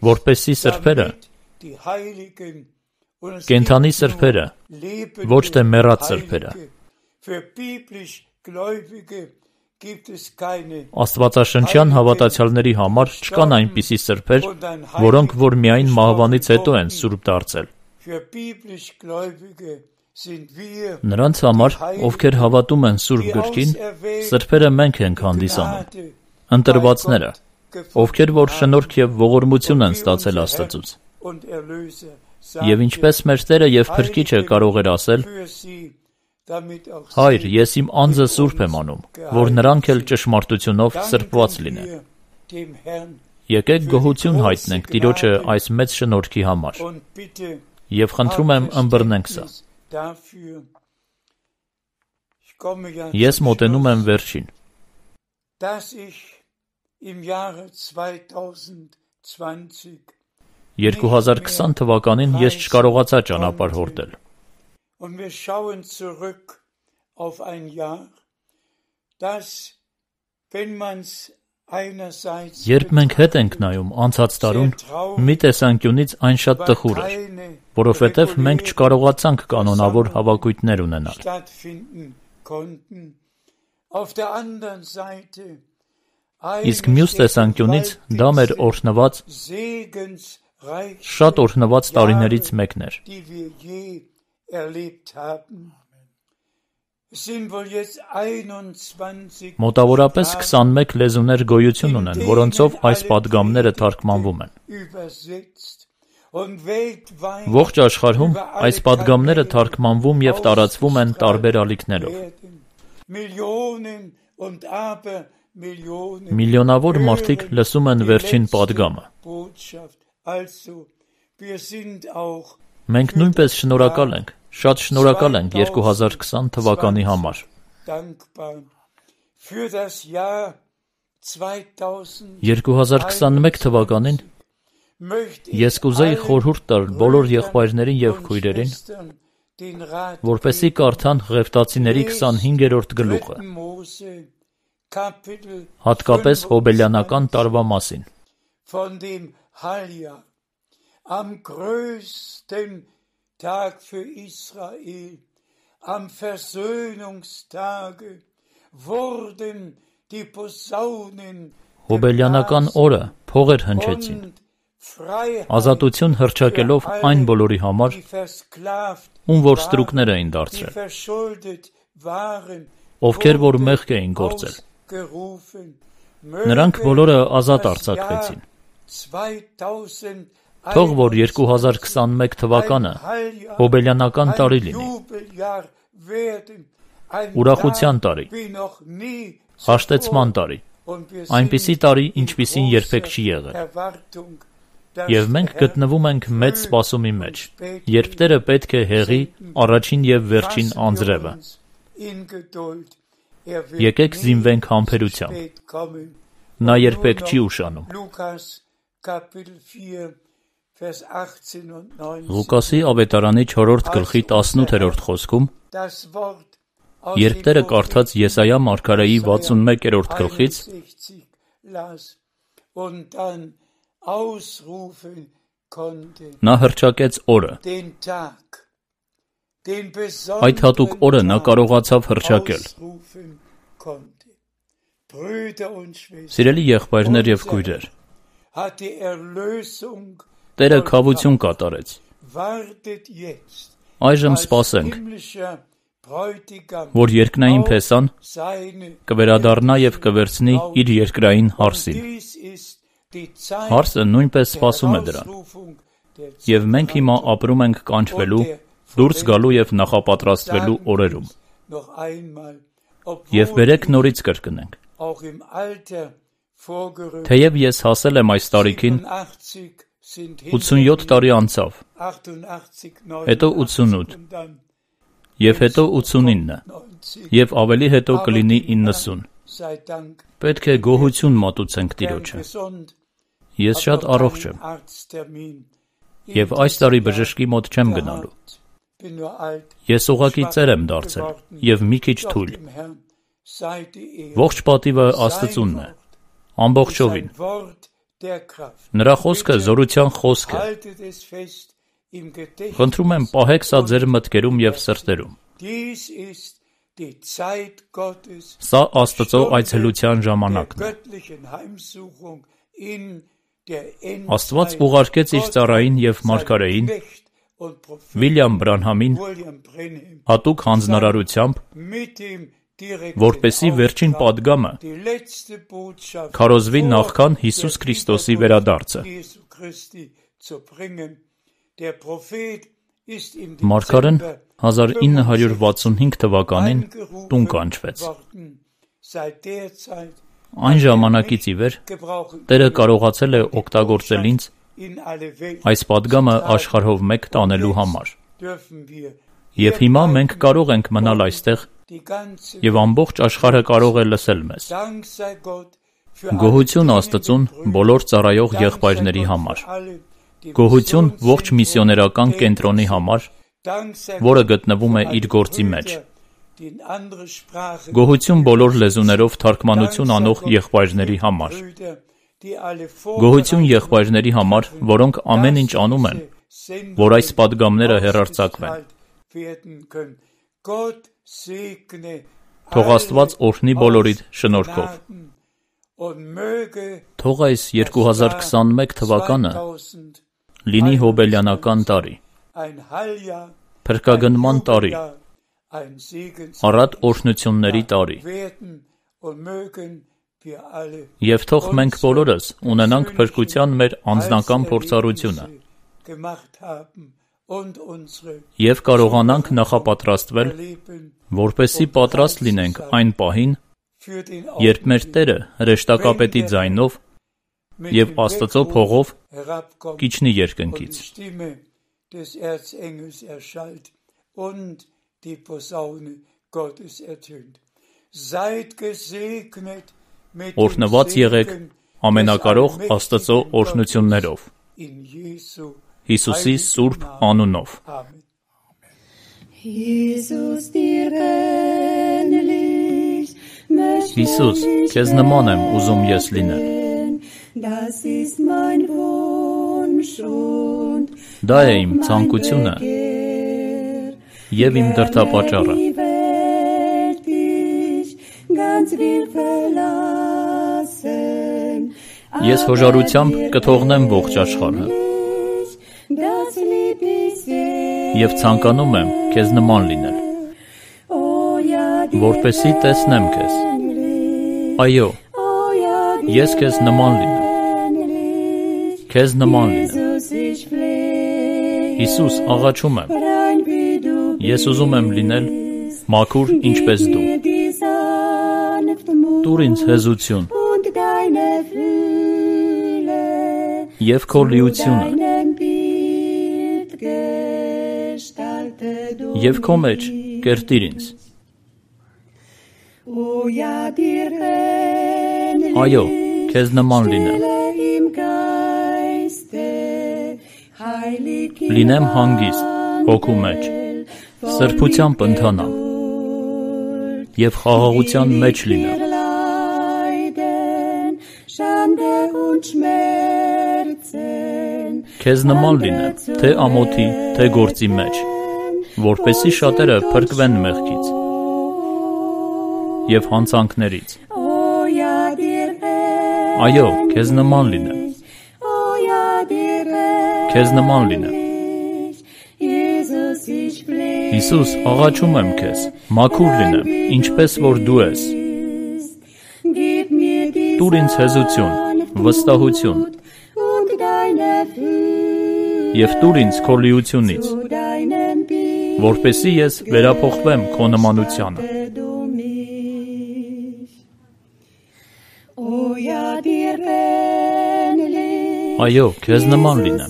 որպեսզի սրբերը, կենդանի սրբերը, ոչ թե մեռած սրբերը, Աստվածաշնչյան հավատացյալների համար չկան այնպիսի սրբեր, որոնք որ միայն մահվանից հետո են սուրբ դարձել։ Նրանց համար, ովքեր հավատում են Սուրբ Գրքին, սրբերը մենք ենք հանդիսանում, ընտրվածները, ովքեր որ շնորհք և ողորմություն են ստացել Աստծուց։ Եվ ինչպես մեր Տերը և Փրկիչը կարող էր ասել. «Հայր, ես իմ անձը սուրբ եմ անում, որ նրանք էլ ճշմարտությունով սրբված լինեն»։ Եկեք գոհություն հայտնենք Տիրոջը այս մեծ շնորհքի համար, և խնդրում եմ ըմբռնենք սա։ Ես մոտենում եմ վերջին։ երկու հազար քսան թվականին ես չկարողացա ճանապարհ հորդել։ Երբ մենք հետ ենք նայում անցած տարուն, մի տեսանկյունից այն շատ տխուր էր, որովհետև մենք չկարողացանք կանոնավոր հավաքույթներ ունենալ։ Իսկ մյուս տեսանկյունից դա մեր օրհնված, շատ օրհնված տարիներից մեկն էր։ Մոտավորապես քսանմեկ լեզուներ գոյություն ունեն, որոնցով այս պատգամները թարգմանվում են։ Ողջ աշխարհում այս պատգամները թարգմանվում և տարածվում են տարբեր ալիքներով։ Միլիոնավոր մարդիկ լսում են վերջին պատգամը։ Մենք նույնպես շնորհակալ ենք, շատ շնորհակալ ենք երկու հազար քսան թվականի համար։ երկու հազար քսանմեկ թվականին ես կուզեի խորհուրդ տալ բոլոր եղբայրներին և քույրերին, որպեսզի կարդան Ղևտացիների քսանհինգերորդ գլուխը, հատկապես Հոբելյանական տարվա մասին։ Am größten Tag für Israel, am Versöhnungstage, wurden die Posaunen Հոբելյանական օրը փողեր հնչեցին, ազատություն հռչակելով այն բոլորի համար, ում որ ստրուկներ էին դարձրել, ովքեր որ մեղք էին գործել։ Նրանք բոլորը ազատ արձակվեցին։ Թող որ երկու հազար քսանմեկ թվականը հոբելյանական տարի լինի, ուրախության տարի, հաշտեցման տարի, այնպիսի տարի, ինչպիսին երբեք չի եղել։ Եվ մենք գտնվում ենք մեծ սպասումի մեջ, երբ Տերը պետք է հեղի առաջին և վերջին անձրևը։ Եկեք զինվենք համբերությամբ։ Նա երբեք չի ուշանում։ Ղուկասի ավետարանի չորրորդ գլխի տասնութերորդ խոսքում, երբ Տերը կարդաց Եսայիա մարգարեի վաթսունմեկերորդ գլխից, Նա հռչակեց օրը։ Այդ հատուկ օրը նա կարողացավ հռչակել։ Սիրելի եղբայրներ և քույրեր, Տերը քավություն կատարեց։ Այժմ սպասենք, որ երկնային փեսան կվերադառնա և կվերցնի իր երկրային հարսին։ Հարսը նույնպես սպասում է դրան։ Եվ մենք հիմա ապրում ենք կանչվելու, դուրս գալու և նախապատրաստվելու օրերում։ Եվ բերեք նորից կրկնենք. Թեև ես հասել եմ այս տարիքին, ութսունյոթ տարի անցավ, հետո ութսունութ, և հետո ութսունինը, և ավելի հետո կլինի իննսուն։ Պետք է գոհություն մատուցենք Տիրոջը։ Ես շատ առողջ եմ, և այս տարի բժշկի մոտ չեմ գնալու։ Ես ուղղակի ծեր եմ դարձել, և մի քիչ թույլ։ Ողջ պատիվը Աստծունն է, ամբողջովին։ Նրա խոսքը զորության խոսք է։ Խնդրում եմ, պահեք սա ձեր մտքերում և սրտերում։ Սա Աստծո այցելության ժամանակն է։ Աստված ուղարկեց իր ծառային և մարգարեին Վիլյամ Բրանհամին հատուկ հանձնարարությամբ, որպեսզի վերջին պատգամը քարոզվի նախքան Հիսուս Քրիստոսի վերադարձը։ Մարգարեն հազար ինը հարյուր վաթսունհինգ թվականին տուն կանչվեց։ Այն ժամանակից ի վեր Տերը կարողացել է օգտագործել ինձ այս պատգամը աշխարհով մեկ տանելու համար։ Եվ հիմա մենք կարող ենք մնալ այստեղ, և ամբողջ աշխարհը կարող է լսել մեզ։ Գոհություն Աստծուն բոլոր ծառայող եղբայրների համար։ Գոհություն ողջ միսիոներական կենտրոնի համար, որը գտնվում է իր գործի մեջ։ Գոհություն բոլոր լեզուներով թարգմանություն անող եղբայրների համար։ Գոհություն եղբայրների համար, որոնք ամեն ինչ անում են, որ այս պատգամները հեռարձակվեն։ Թող Աստված օրհնի բոլորիդ շնորհքով։ Թող այս երկու հազար քսանմեկ թվականը լինի հոբելյանական տարի, փրկագնման տարի, առատ օրհնությունների տարի։ Եվ թող մենք բոլորս ունենանք փրկության մեր անձնական փորձառությունը և կարողանանք նախապատրաստվել, որպեսզի պատրաստ լինենք այն պահին, երբ մեր Տերը հրեշտակապետի ձայնով և Աստծո փողով կիջնի երկնքից։ Օրհնված եղեք ամենակարող Աստծո օրհնություններով։ Հիսուսի սուրբ անունով։ Հիսուս, քեզ նման եմ ուզում ես լինել։ Դա է իմ ցանկությունը և իմ դրդապատճառը։ Ես հոժարությամբ կթողնեմ ողջ աշխարհը և ցանկանում եմ քեզ նման լինել, որպեսզի տեսնեմ քեզ։ Այո, ես քեզ նման լինեմ, քեզ նման լինեմ։ Հիսուս, աղաչում եմ, ես ուզում եմ լինել մաքուր ինչպես դու։ Տուր ինձ հեզություն և քո լիությունը և քո մեջ կերտիր ինձ։ Այո, քեզ նման լինեմ։ Լինեմ հանգիստ հոգու մեջ, սրբությամբ ընթանամ և խաղաղության մեջ լինեմ։ քեզ նման լինեմ, թե ամոթի, թե գործի մեջ, որպեսզի շատերը փրկվեն մեղքից և հանցանքներից։ Այո, քեզ նման լինեմ, քեզ նման լինեմ։ Հիսուս, աղաչում եմ քեզ, մաքուր լինեմ, ինչպես որ դու ես։ Տուր ինձ հեզություն, վստահություն և տուր ինձ քո լիությունից, որպեսզի ես վերափոխվեմ քո նմանությանը։ Այո, քեզ նման լինեմ։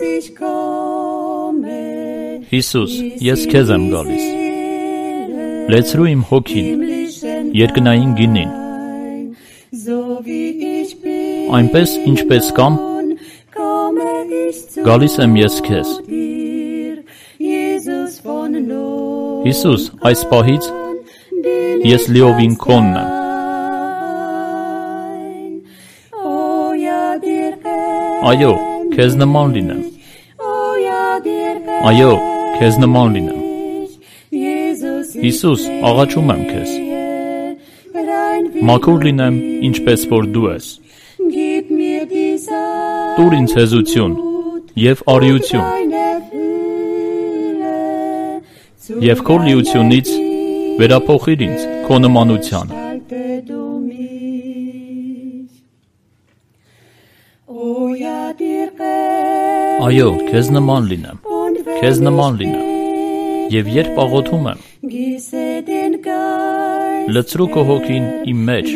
Հիսուս, ես քեզ եմ գալիս։ Լեցրու իմ հոգին, երկնային գինին, այնպես ինչպես կամ, գալիս եմ ես քեզ։ Հիսուս, այս պահից ես լիովին քոնն եմ։ Այո, քեզ նման լինեմ։ Այո, քեզ նման լինեմ։ Հիսուս, աղաչում եմ քեզ։ Մաքուր լինեմ, ինչպես որ դու ես։ Տուր ինձ հեզություն և արիություն և քո լիությունից վերափոխիր ինձ քո նմանությանը։ Այո, քեզ նման լինեմ, քեզ նման լինեմ, և երբ աղոթում եմ, լցրու քո հոգին իմ մեջ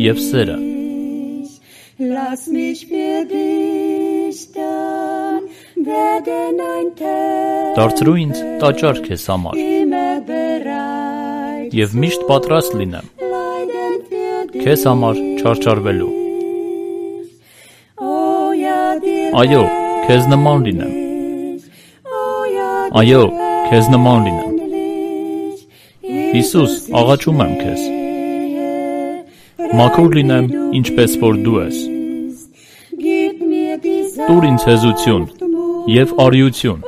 և սերը։ Դարձրու ինձ տաճար քեզ համար և միշտ պատրաստ լինեմ քեզ համար չարչարվելու։ Այո, քեզ նման լինեմ։ Այո, քեզ նման լինեմ։ Հիսուս, աղաչում եմ քեզ։ Մաքուր լինեմ, ինչպես որ դու ես։ Տուր ինձ հեզություն և արիություն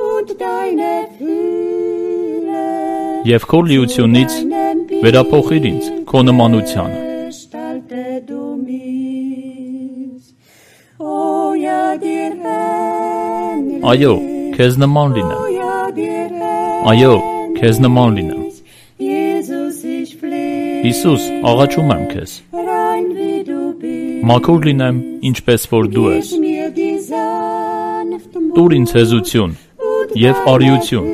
և քո լիությունից վերափոխիր ինձ քո նմանությանը։ Այո, քեզ նման լինեմ։ Այո, քեզ նման լինեմ։ Հիսուս, աղաչում եմ քեզ։ Մաքուր լինեմ, ինչպես որ դու ես։ Տուր ինձ հեզություն և արիություն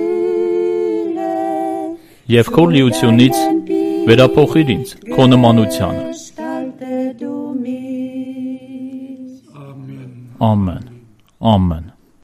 և քո լիությունից վերափոխիր ինձ քո նմանությանը։ Ամեն, ամեն, ամեն։